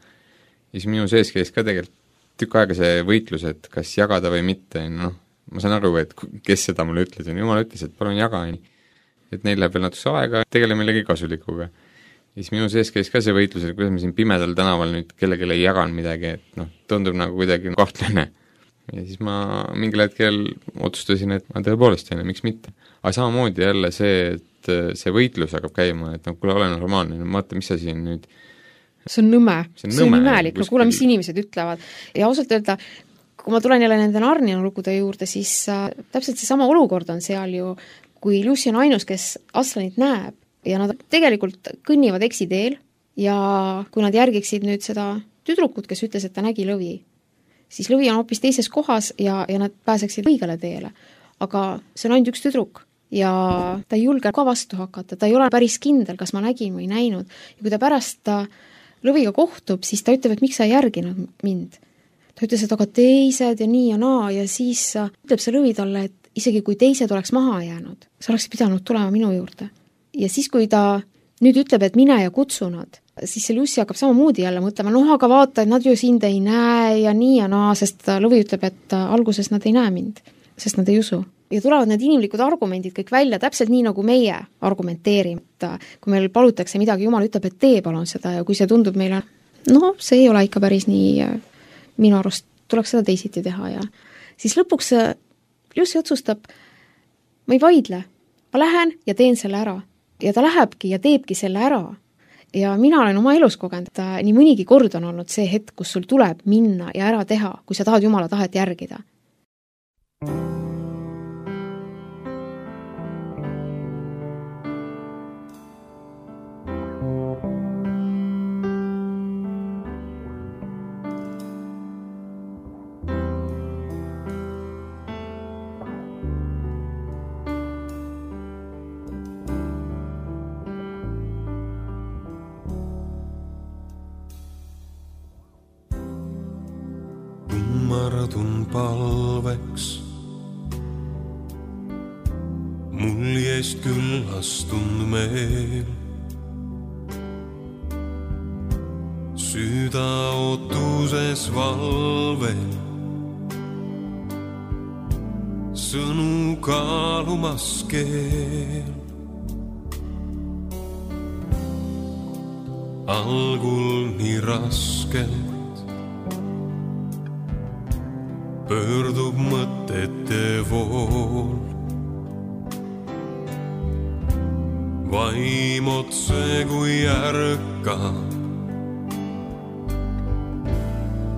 Ja siis minu sees käis ka tegelikult tükk aega see võitlus, et kas jagada või mitte, noh, ma saan aru, et kes seda mulle ütles, ja Jumal ütles, et palun jaga, et neil läheb veel natuke aega, tegele millegi kasulikuga. Ja siis minu sees käis ka see võitlus, et kuidas ma siin pimedal tänaval nüüd kellelegi ei jagan midagi, et noh, tundub nagu kuidagi kahtlane. Ja siis ma mingil hetkel otsustasin, et ma tõepoolest teine, miks mitte. Aga samamoodi jälle see, et see võitlus hakkab käima, et noh, kuule, ole normaalne, vaata, mis sa siin nüüd see on nõme, see on, see on imelik, no kuule, mis inimesed ütlevad. Ja ausalt öelda, kui ma tulen jälle nende Narnia lugude juurde, siis äh, täpselt see sama olukord on seal ju, kui Lucy on ainus, kes Aslanit näeb ja nad tegelikult kõnnivad eksiteel ja kui nad järgiksid nüüd seda tüdrukut, kes ütles, et ta nägi lõvi, siis lõvi on hoopis teises kohas ja, ja nad pääseksid õigele teele. Aga see on ainult üks tüdruk ja ta ei julge ka vastu hakata, ta ei ole päris kindel, kas ma nägin või näinud. Ja kui ta pärast ta lõviga kohtub, siis ta ütleb, et miks sa ei järginud mind. Ta ütles, et aga teised ja nii ja naa ja siis ütleb see lõvi talle, et isegi kui teised oleks maha jäänud, sa oleks pidanud tulema minu juurde. Ja siis, kui ta nüüd ütleb, et mine ja kutsu nad, siis see Lucy hakkab samamoodi jälle mõtlema, noh, aga vaata, et nad ju sind ei näe ja nii ja naa, sest Lõvi ütleb, et alguses nad ei näe mind, sest nad ei usu. Ja tulevad need inimlikud argumendid kõik välja, täpselt nii, nagu meie argumenteerime, et kui meil palutakse midagi, Jumal ütleb, et tee palun seda ja kui see tundub meile, no see ei ole ikka päris nii, minu arust tuleks seda teisiti teha ja siis lõpuks Lucy otsustab, ma ei vaidle, ma lähen ja teen selle ära. Ja ta lähebki ja teebki selle ära. Ja mina olen oma elus kogenud, et nii mõnigi kord on olnud see hetk, kus sul tuleb minna ja ära teha, kui sa tahad Jumala tahet järgida. Kummardun palveks, mul jäist küllastund meel. Süda ootuses valvel, sõnu kaalumas keel. Algul nii raskelt pöördub mõtete vool. Vaim otse kui ärkab,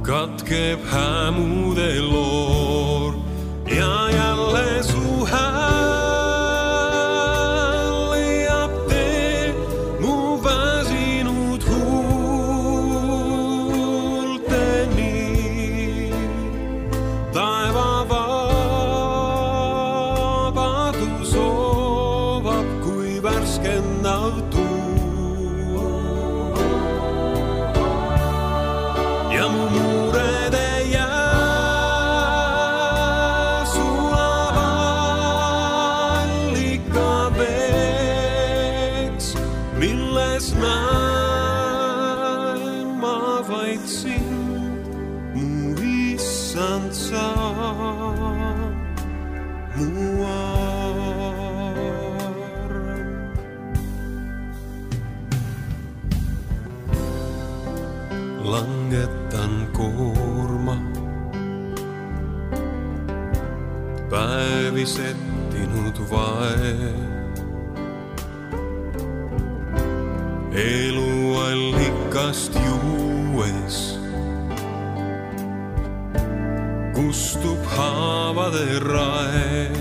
katkeb hämude loor ja jälle su hääl leiab tee mu väsinud huulteni. Taeva vabadus soovab kui värskendav tuu. Ja mu muured ei jää sulava allika veeks, milles näen ma vaid sind, mu issand sa, mu arm. Langetan koorma, päevi settinud vae. Eluallikast juues kustub haavade rae.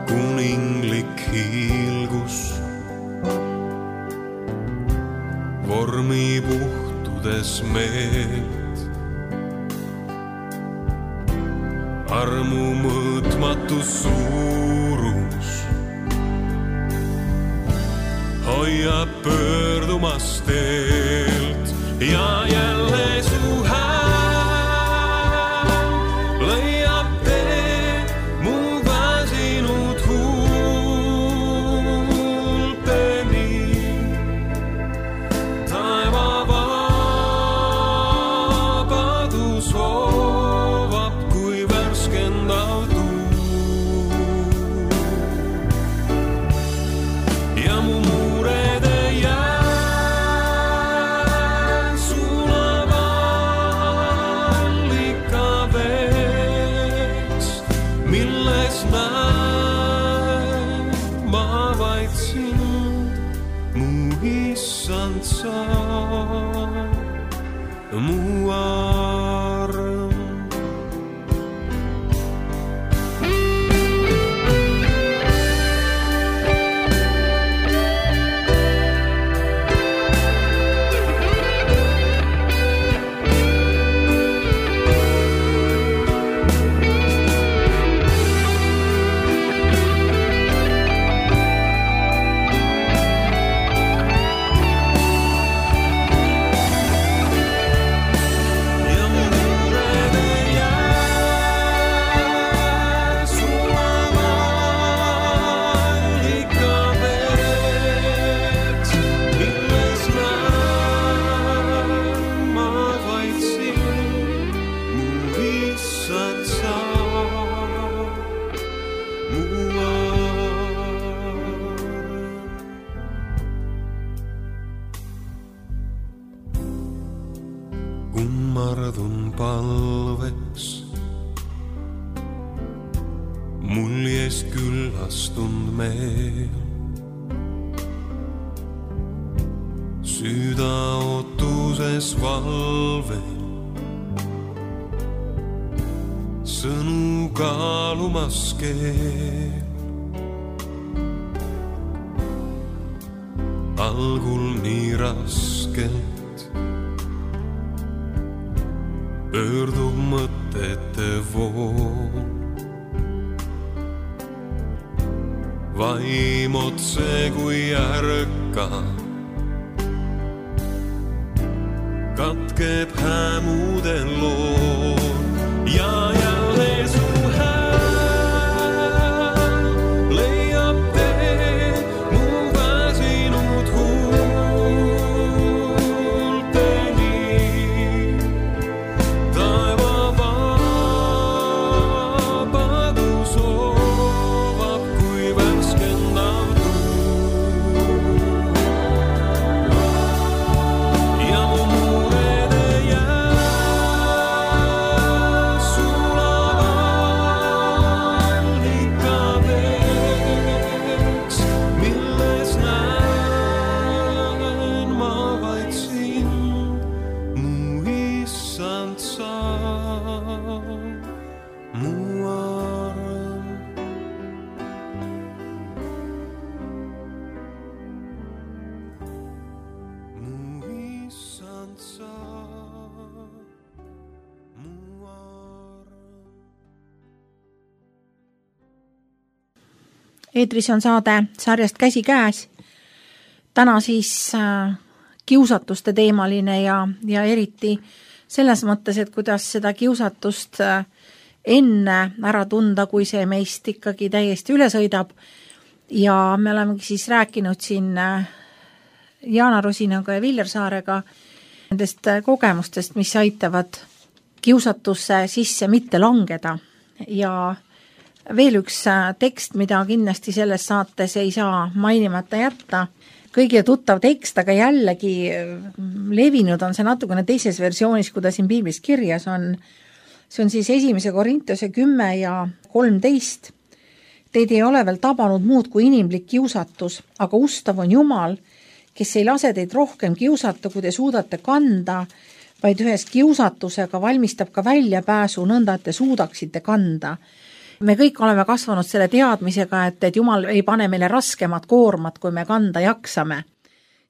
Kuninglik hiilgus vormi puhtudes meelt. Armu mõõtmatu suurus hoiab pöördumas teelt ja jälle su hääl leiab tee mu väsinud huulteni. Taeva vabadus hoovab kui värskendav tuu. Ja mu muured ei jää sulava allika veeks, milles näen ma vaid sind, mu issand sa, mu arm. Ja mu talveks muljest küllastund meel. Süda ootuses valvel, sõnu kaalumas keel. Algul nii raskelt pöördub mõtete vool. Vaim otse kui ärka katkeb hämudel lool ja jälle su hääl leiab tee mu väsinud huulteni. Taeva vabadus hoovab kui värskendav tuul ja mu murede jää sulavad ikadeks, milles näen ma vaid sind, mu issand sa, mu arm. Mu issand sa, mu arm. eetris on saade sarjast Käsi käes. Täna siis äh, kiusatuste teemaline ja, ja eriti selles mõttes, et kuidas seda kiusatust äh, enne ära tunda, kui see meist ikkagi täiesti üle sõidab. Ja me olemegi siis rääkinud siin äh, Jaana Rosinaga ja Viljar Saarega nendest äh, kogemustest, mis aitavad kiusatusse sisse mitte langeda. Ja veel üks äh, tekst, mida kindlasti selles saates ei saa mainimata jätta. Kõige tuttav tekst, aga jällegi äh, levinud on see natukene teises versioonis, kui ta siin piiblis kirjas on. See on siis esimese Korintuse kümme ja kolmteist. Teid ei ole veel tabanud muud kui inimlik kiusatus, aga ustav on Jumal, kes ei lase teid rohkem kiusata, kui te suudate kanda, vaid ühes kiusatusega valmistab ka väljapääsu nõnda, et te suudaksite kanda. Me kõik oleme kasvanud selle teadmisega, et, et Jumal ei pane meile raskemat koormat, kui me kanda jaksame.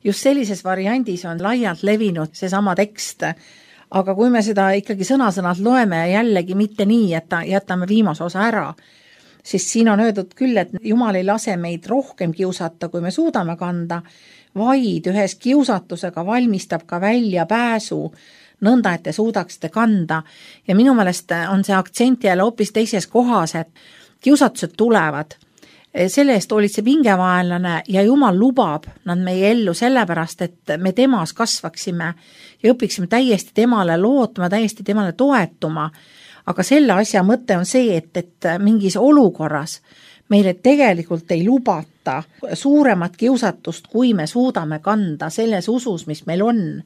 Just sellises variandis on laialt levinud seesama tekst, aga kui me seda ikkagi sõna-sõnalt loeme jällegi mitte nii, et jätame viimase osa ära, siis siin on öeldud küll, et Jumal ei lase meid rohkem kiusata, kui me suudame kanda, vaid ühes kiusatusega valmistab ka välja pääsu, nõnda, et te suudaksite kanda. Ja minu meelest on see aktsent jälle hoopis teises kohas, et kiusatused tulevad. Selle eest olid see pingevaenlane ja Jumal lubab nad meie ellu sellepärast, et me temas kasvaksime ja õpiksime täiesti temale lootma, täiesti temale toetuma. Aga selle asja mõte on see, et, et mingis olukorras meile tegelikult ei lubata suuremat kiusatust, kui me suudame kanda selles usus, mis meil on.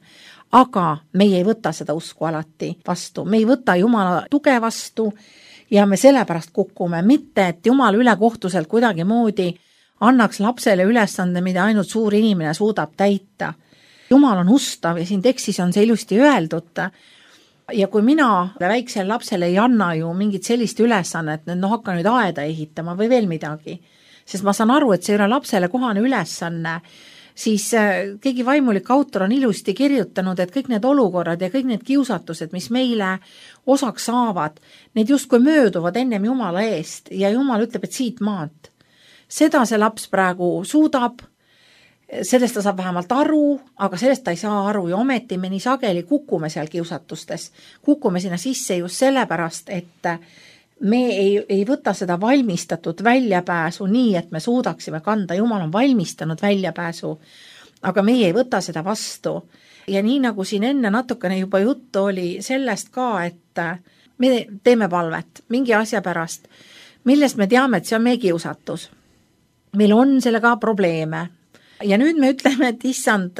Aga meie ei võta seda usku alati vastu. Me ei võta Jumala tuge vastu ja me sellepärast kukume. Mitte, et Jumal ülekohtuselt kuidagi moodi annaks lapsele ülesande, mida ainult suur inimene suudab täita. Jumal on ustav ja siin tekstis on see ilusti öeldud. Ja kui mina väiksele lapsele ei anna ju mingit sellist ülesannet, et no hakka nüüd aeda ehitama või veel midagi, sest ma saan aru, et see ei ole lapsele kohane ülesanne, siis keegi vaimulik autor on ilusti kirjutanud, et kõik need olukorrad ja kõik need kiusatused, mis meile osaks saavad, need justkui mööduvad ennem Jumala eest ja Jumal ütleb, et siit maalt. Seda see laps praegu suudab, sellest ta saab vähemalt aru, aga sellest ta ei saa aru ja ometi me nii sageli kukume seal kiusatustes. Kukume sinna sisse just sellepärast, et me ei, ei võta seda valmistatud väljapääsu nii, et me suudaksime kanda. Jumal on valmistanud väljapääsu, aga meie ei võta seda vastu. Ja nii nagu siin enne natukene juba juttu oli sellest ka, et me teeme palvet mingi asja pärast, millest me teame, et see on meie kiusatus. Meil on sellega probleeme. ja nüüd me ütleme, et issand,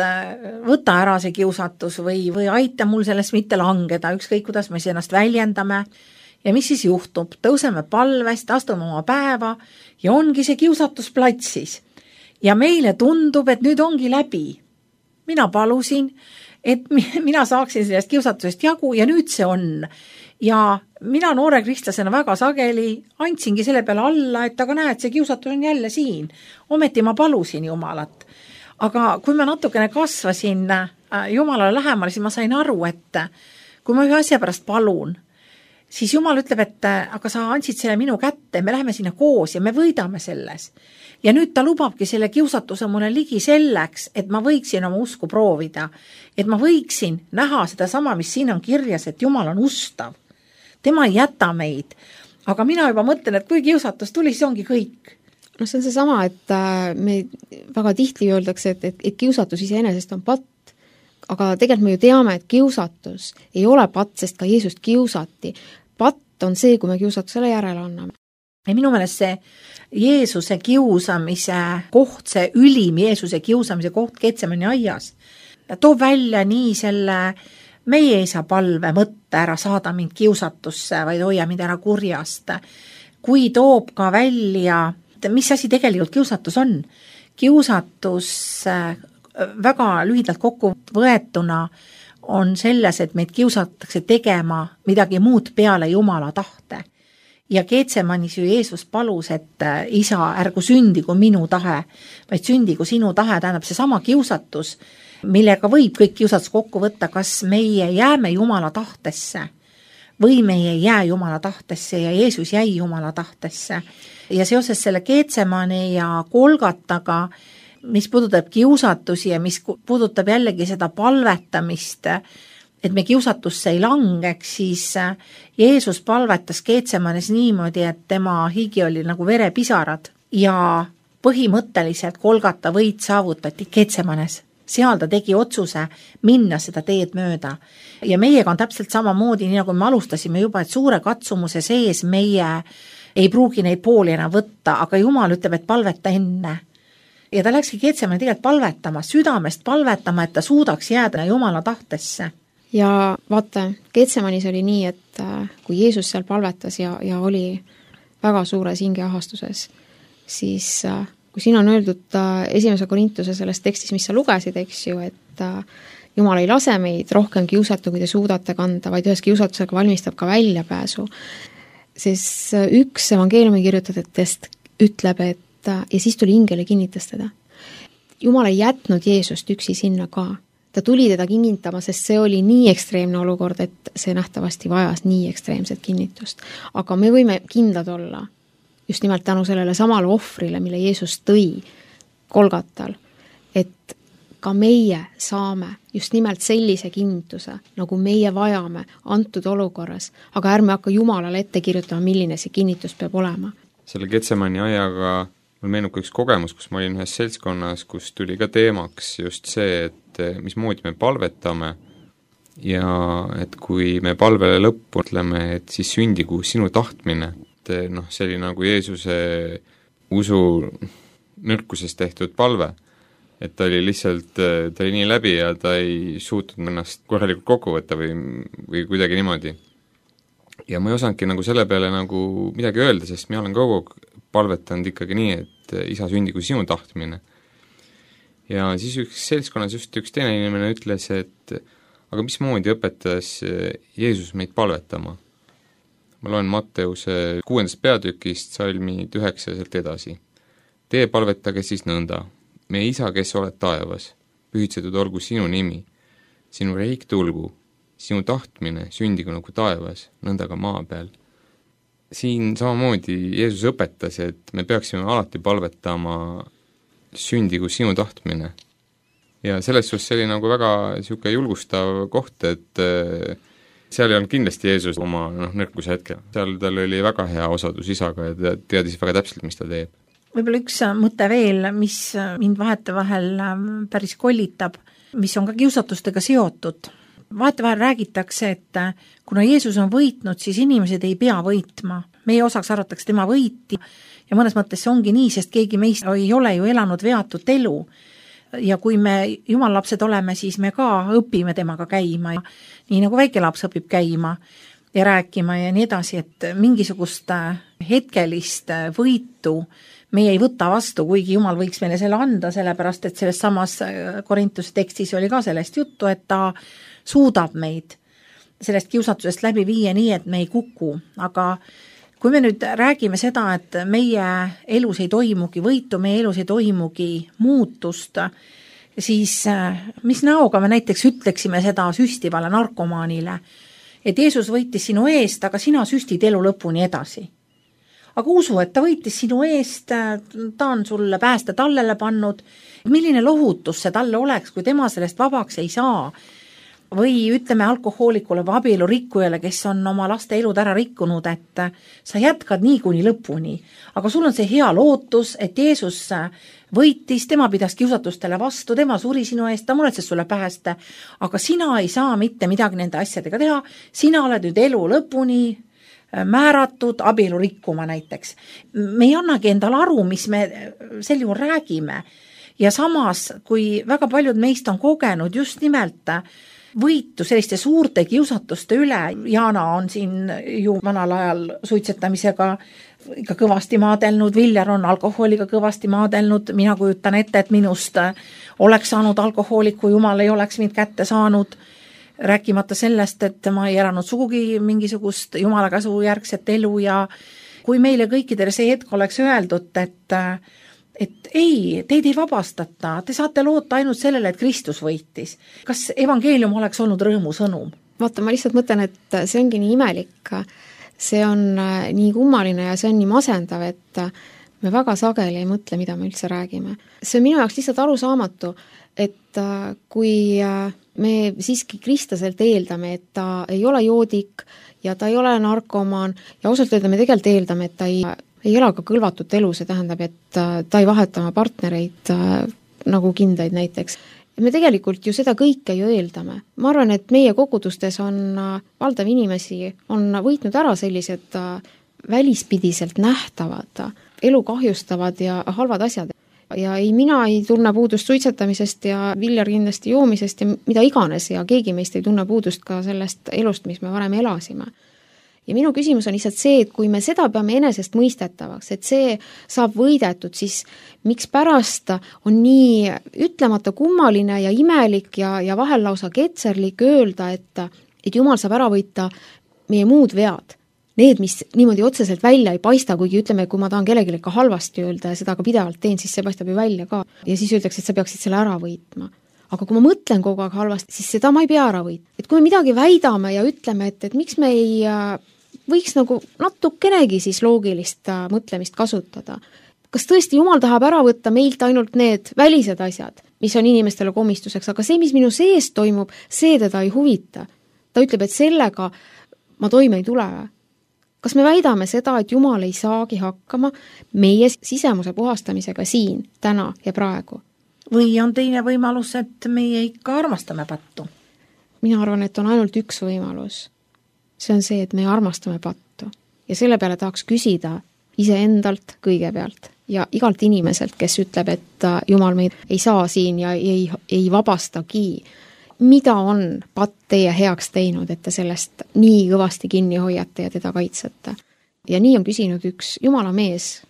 võta ära see kiusatus või, või aita mul sellest mitte langeda, ükskõik kuidas me ennast väljendame. Ja mis siis juhtub? Tõuseme palvest, astume oma päeva ja ongi see kiusatus platsis. Ja meile tundub, et nüüd ongi läbi. Mina palusin, et mina saaksin sellest kiusatusest jagu ja nüüd see on. Ja mina noore kristlasena väga sageli andsingi selle peale alla, et aga näed, see kiusatus on jälle siin. Ometi ma palusin Jumalat. Aga kui ma natukene kasvasin Jumalale lähemale, siis ma sain aru, et kui ma ühe asja pärast palun, siis Jumal ütleb, et aga sa andsid selle minu kätte, me läheme sinna koos ja me võidame selles. Ja nüüd ta lubabki selle kiusatuse mulle ligi selleks, et ma võiksin oma usku proovida. Et ma võiksin näha seda sama, mis siin on kirjas, et Jumal on ustav. Tema ei jäta meid. Aga mina juba mõtlen, et kui kiusatus tuli, see ongi kõik. No see on see sama, et me väga tihti öeldakse, et, et, et kiusatus iseenesest on patt. Aga tegelikult me ju teame, et kiusatus ei ole patt, sest ka Jeesust kiusati. Patt on see, kui me kiusatusele järele anname. Ja minu meelest see Jeesuse kiusamise koht, see ülim Jeesuse kiusamise koht Getsemani aias, toob välja nii selle meie isa palve mõtte ära saada mind kiusatusse, vaid hoia mind ära kurjast. Kui toob ka välja, mis asi tegelikult kiusatus on? Kiusatus väga lühidalt kokku võetuna on selles, et meid kiusatakse tegema midagi muud peale Jumala tahte. Ja Getsemanis ju Jeesus palus, et isa, ärgu sündigu minu tahe, vaid sündigu sinu tahe, tähendab see sama kiusatus, millega võib kõik kiusatus kokku võtta, kas meie jääme Jumala tahtesse või meie ei jää Jumala tahtesse ja Jeesus jäi Jumala tahtesse. Ja seoses selle Getsemani ja Golgataga, mis puudutab kiusatusi ja mis puudutab jällegi seda palvetamist, et me kiusatusse ei langeks, siis Jeesus palvetas Getsemanis niimoodi, et tema higi oli nagu verepisarad ja põhimõtteliselt Golgata võit saavutati Getsemanes. Seal ta tegi otsuse minna seda teed mööda. Ja meiega on täpselt samamoodi, nii nagu me alustasime juba, et suure katsumuse sees meie ei pruugi neid pooli enam võtta, aga Jumal ütleb, et palveta enne. Ja ta läkski Getsemani tegelikult palvetama, südamest palvetama, et ta suudaks jääda Jumala tahtesse. Ja vaata, Getsemanis oli nii, et kui Jeesus seal palvetas ja, ja oli väga suures hingeahastuses, siis kui siin on öeldud esimese Korintuse selles tekstis, mis sa lugesid, eks ju, et Jumal ei lase meid rohkem kiusata, kui te suudate kanda, vaid ühes kiusatusega valmistab ka väljapääsu, siis üks evangeeliumi kirjutajatest ütleb, et ja siis tuli ingel ja kinnitas teda. Jumal ei jätnud Jeesust üksi sinna ka. Ta tuli teda kinnitama, sest see oli nii ekstreemne olukord, et see nähtavasti vajas nii ekstreemset kinnitust. Aga me võime kindlad olla just nimelt tänu sellele samale ohvrile, mille Jeesus tõi Golgatal, et ka meie saame just nimelt sellise kinnituse, nagu meie vajame antud olukorras, aga ärme hakka Jumalale ette kirjutama, milline see kinnitus peab olema. Selle Getsemani ajaga mul meenub üks kogemus, kus ma olin ühes seltskonnas, kus tuli ka teemaks just see, et mismoodi me palvetame ja et kui me palvele lõppu ütleme, et siis sündigu sinu tahtmine, et noh, see oli nagu Jeesuse usu nõrkusest tehtud palve, et ta oli lihtsalt, ta oli nii läbi ja ta ei suutnud ennast korralikult kokku võtta või, või kuidagi niimoodi. Ja ma ei osanudki nagu selle peale nagu midagi öelda, sest mina olen kogu palvetanud ikkagi nii, et isa sündigu sinu tahtmine. Ja siis üks seltskonnas just üks teine inimene ütles, et aga mismoodi õpetas Jeesus meid palvetama? Ma loen Matteuse kuuendast peatükist salmid üheksa sealt edasi. Tee palvetage siis nõnda. Meie isa, kes oled taevas, pühitsetud olgu sinu nimi, sinu reik tulgu, sinu tahtmine sündigu nagu taevas, nõnda ka maa peal. Siin samamoodi Jeesus õpetas, et me peaksime alati palvetama sündigu sinu tahtmine. Ja selles suhtes see oli nagu väga niisugune julgustav koht, et seal ei olnud kindlasti Jeesus oma noh, nõrkuse hetkel. Seal tal oli väga hea osadus isaga ja ta teadis väga täpselt, mis ta teeb. Võib-olla üks mõte veel, mis mind vahetevahel päris kollitab, mis on ka kiusatustega seotud. Vahetevahel räägitakse, et kuna Jeesus on võitnud, siis inimesed ei pea võitma. Meie osaks arvatakse tema võiti ja mõnes mõttes see ongi nii, sest keegi meist ei ole ju elanud veatut elu. ja kui me jumalapsed oleme, siis me ka õpime temaga käima ja nii nagu väikelaps õpib käima ja rääkima ja nii edasi, et mingisugust hetkelist võitu meie ei võta vastu, kuigi Jumal võiks meile selle anda, sellepärast et selles samas Korintuse tekstis oli ka sellest juttu, et ta suudab meid sellest kiusatusest läbi viia nii, et me ei kuku, aga kui me nüüd räägime seda, et meie elus ei toimugi võitu, meie elus ei toimugi muutust, siis mis näoga me näiteks ütleksime seda süstivale narkomaanile, et Jeesus võitis sinu eest, aga sina süstid elu lõpuni edasi. Aga usu, et ta võitis sinu eest, ta on sulle pääste tallele pannud, milline lohutus see talle oleks, kui tema sellest vabaks ei saa. Või ütleme alkohoolikule või abielurikkujale, kes on oma laste elud ära rikkunud, et sa jätkad nii kuni lõpuni. Aga sul on see hea lootus, et Jeesus võitis, tema pidas kiusatustele vastu, tema suri sinu eest, ta muretses sulle pääste, aga sina ei saa mitte midagi nende asjadega teha, sina oled nüüd elu lõpuni määratud abielu rikkuma näiteks. Me ei annagi endale aru, mis me sel juhul räägime. Ja samas, kui väga paljud meist on kogenud just nimelt võitu selliste suurte kiusatuste üle, Jaana on siin ju vanal ajal suitsetamisega ikka kõvasti maadelnud, Viljar on alkohooliga kõvasti maadelnud, mina kujutan ette, et minust oleks saanud alkohooliku, Jumal ei oleks mind kätte saanud, rääkimata sellest, et ma ei elanud sugugi mingisugust Jumala käsu järgset elu ja kui meile kõikidele see hetk oleks öeldud, et et ei, teid ei vabastata, te saate loota ainult sellele, et Kristus võitis. Kas evangeelium oleks olnud rõõmusõnum? Vaata, ma lihtsalt mõtlen, et see ongi nii imelik, see on nii kummaline ja see on nii masendav, et me väga sageli ei mõtle, mida me üldse räägime. See on minu jaoks lihtsalt arusaamatu, et kui me siiski Kristaselt eeldame, et ta ei ole joodik ja ta ei ole narkomaan ja ausalt öelda me tegelikult eeldame, et ta ei ei ela ka kõlvatut elu, see tähendab, et ta ei vaheta oma partnereid nagu kindaid näiteks. Me tegelikult ju seda kõike ju eeldame. Ma arvan, et meie kogudustes on valdav inimesi, on võitnud ära sellised välispidiselt nähtavad, elu kahjustavad ja halvad asjad. Ja ei, mina ei tunne puudust suitsetamisest ja Viljar kindlasti joomisest ja mida iganes ja keegi meist ei tunne puudust ka sellest elust, mis me varem elasime. Ja minu küsimus on lihtsalt see, et kui me seda peame enesest mõistetavaks, et see saab võidetud, siis miks pärast on nii ütlemata kummaline ja imelik ja, ja vahel lausa ketserlik öelda, et, et Jumal saab ära võita meie muud vead. Need, mis niimoodi otseselt välja ei paista, kuigi ütleme, kui ma tahan kellelegi ka halvasti öelda ja seda ka pidevalt teen, siis see paistab ju välja ka. Ja siis öeldakse, et sa peaksid selle ära võitma. Aga kui ma mõtlen kogu aeg halvasti, siis seda ma ei pea ära võitma. Et kui me midagi väidame ja ütleme, et, et miks me ei võiks nagu natukenegi siis loogilist mõtlemist kasutada. Kas tõesti Jumal tahab ära võtta meilt ainult need välised asjad, mis on inimestele komistuseks, aga see, mis minu sees toimub, see teda ei huvita. Ta ütleb, et sellega ma toime ei tule. Kas me väidame seda, et Jumal ei saagi hakkama meie sisemuse puhastamisega siin, täna ja praegu? Või on teine võimalus, et meie ikka armastame pattu? Mina arvan, et on ainult üks võimalus. See on see, et me armastame pattu. Ja selle peale tahaks küsida iseendalt kõigepealt ja igalt inimeselt, kes ütleb, et Jumal meid ei saa siin ja ei, ei vabastagi. Mida on patt teie heaks teinud, et te sellest nii kõvasti kinni hoiate ja teda kaitsete? Ja nii on küsinud üks Jumala mees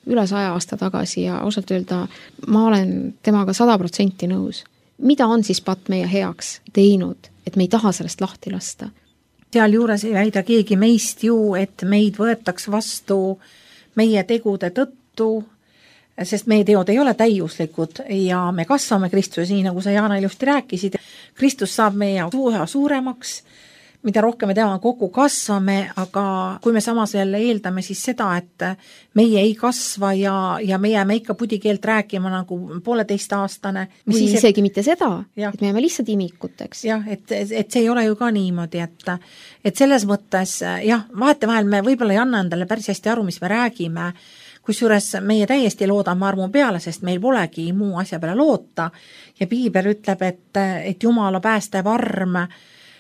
üle saja aasta tagasi ja ausalt öelda, ma olen temaga sada protsenti nõus. Mida on siis patt meie heaks teinud, et me ei taha sellest lahti lasta? Seal juures ei väida keegi meist ju, et meid võetaks vastu meie tegude tõttu, sest meie teod ei ole täiuslikud ja me kasvame Kristuse, nii nagu sa Jaana ilusti rääkisid. Kristus saab meie üha suuremaks, mida rohkem me tema kokku kasvame, aga kui me samas jälle eeldame siis seda, et meie ei kasva ja, ja me jääme ikka pudikeelt rääkima nagu pooleteist aastane. Või siis, isegi et, mitte seda, ja, et me jääme lihtsalt imikuteks. Jah, et, et see ei ole ju ka niimoodi, et, et selles mõttes, jah, vahetevahel me võib-olla ei anna endale päris hästi aru, mis me räägime, kusjuures meie täiesti loodame armu peale, sest meil polegi muu asja peale loota ja Piibel ütleb, et, et Jumala päästev arm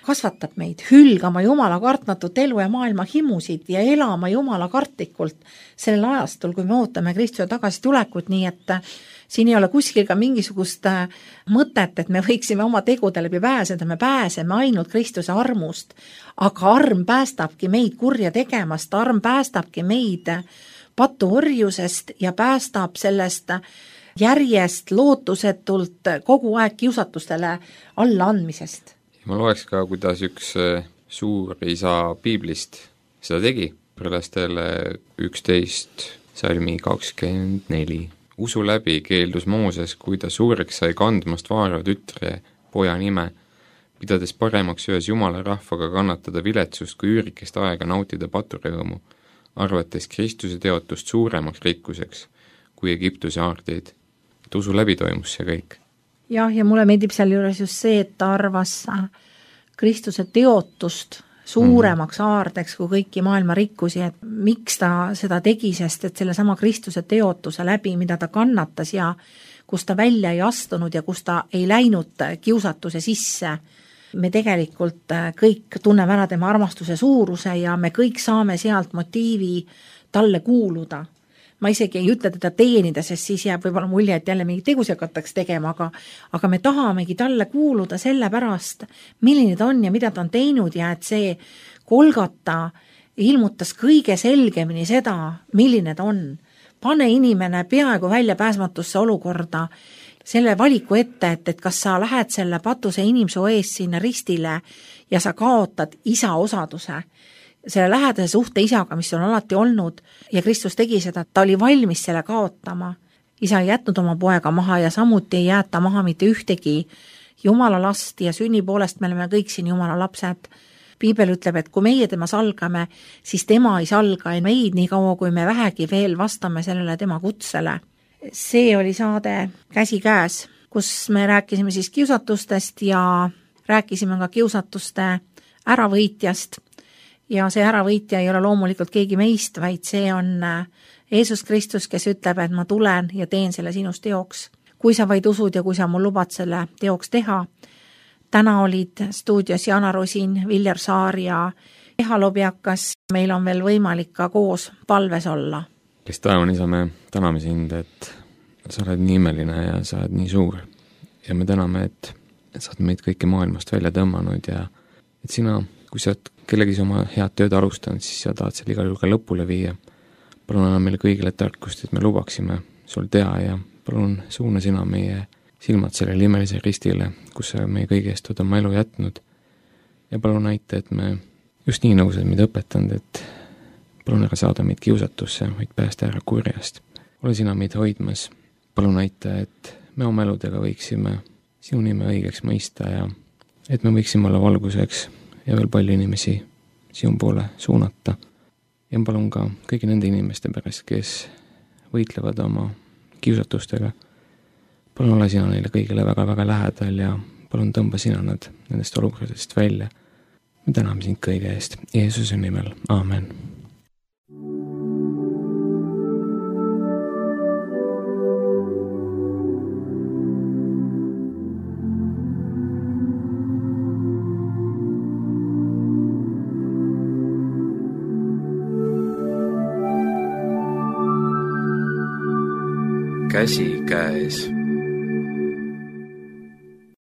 kasvatab meid hülgama Jumala kartmatut elu ja maailma himusid ja elama Jumala kartlikult sellel ajastul, kui me ootame Kristuse tagasitulekut, nii et siin ei ole kuskil ka mingisugust mõtet, et me võiksime oma tegude läbi pääseda, me pääseme ainult Kristuse armust, aga arm päästabki meid kurja tegemast, arm päästabki meid patuorjusest ja päästab sellest järjest lootusetult kogu aeg kiusatustele alla andmisest. Ma loeks ka, kuidas üks suur isa piiblist seda tegi, prelastele üksteist salmi kakskümmend neli. Usu läbi keeldus Mooses, kui ta suureks sai kandmast Vaaro tütre poja nime, pidades paremaks ühes Jumala rahvaga kannatada viletsust kui üürikest aega nautida paturõõmu, arvates Kristuse teotust suuremaks rikkuseks kui Egiptuse aarteid. Et usu läbi toimus see kõik. Jah, ja mulle meeldib seal juures just see, et ta arvas Kristuse teotust suuremaks aardeks kui kõiki maailma rikkusi, et miks ta seda tegi, sest et selle sama Kristuse teotuse läbi, mida ta kannatas ja kus ta välja ei astunud ja kus ta ei läinud kiusatuse sisse, me tegelikult kõik tunneme ära tema armastuse suuruse ja me kõik saame sealt motiivi talle kuuluda. Ma isegi ei ütle teda teenida, sest siis jääb võib-olla mulje, et jälle mingi tegusi hakataks tegema, aga, aga me tahamegi talle kuuluda selle pärast, milline ta on ja mida ta on teinud ja et see Golgata ilmutas kõige selgemini seda, milline ta on. Pane inimene peaaegu väljapääsmatusse olukorda selle valiku ette, et, et kas sa lähed selle patuse inimsoo ees sinna ristile ja sa kaotad isa osaduse, selle lähedase suhte isaga, mis on alati olnud ja Kristus tegi seda, ta oli valmis selle kaotama. Isa ei jätnud oma poega maha ja samuti ei jäeta maha mitte ühtegi Jumala last ja sünni poolest me oleme kõik siin Jumala lapsed. Piibel ütleb, et kui meie tema salgame, siis tema ei salga meid nii kaua, kui me vähegi veel vastame sellele tema kutsele. See oli saade Käsi käes, kus me rääkisime siis kiusatustest ja rääkisime ka kiusatuste äravõitjast. Ja see äravõitja ei ole loomulikult keegi meist, vaid see on Jeesus Kristus, kes ütleb, et ma tulen ja teen selle sinust teoks. Kui sa vaid usud ja kui sa mul lubad selle teoks teha. Täna olid stuudios Jana Rosin, Viljar Saar ja Eha Lobjakas. Meil on veel võimalik ka koos palves olla. Kes taevan isa, me täname sind, et sa oled nii imeline ja sa oled nii suur. Ja me täname, et sa oled meid kõike maailmast välja tõmmanud ja et sina, kui sa oled kellegi oma head tööd alustanud, siis sa tahad selle igal juhul ka lõpule viia. Palun anna meile kõigile tarkust, et me lubaksime sul teha ja palun suuna sina meie silmad sellele imelise ristile, kus sa meie kõige eest oled oma elu jätnud. Ja palun näita, et me just nii nõused meid õpetanud, et palun ära saada meid kiusatusse, vaid päästa ära kurjast. Ole sina meid hoidmas. Palun näita, et me oma eludega võiksime sinu nime õigeks mõista ja et me võiksime olla valguseks ja veel palju inimesi sinu poole suunata. Ja palun ka kõigi nende inimeste pärast, kes võitlevad oma kiusatustega. Palun ole sina neile kõigile väga-väga lähedal ja palun tõmba sina nad nendest olukordadest välja. Me täname sind kõige eest. Jeesuse nimel. Aamen. Käsi käes.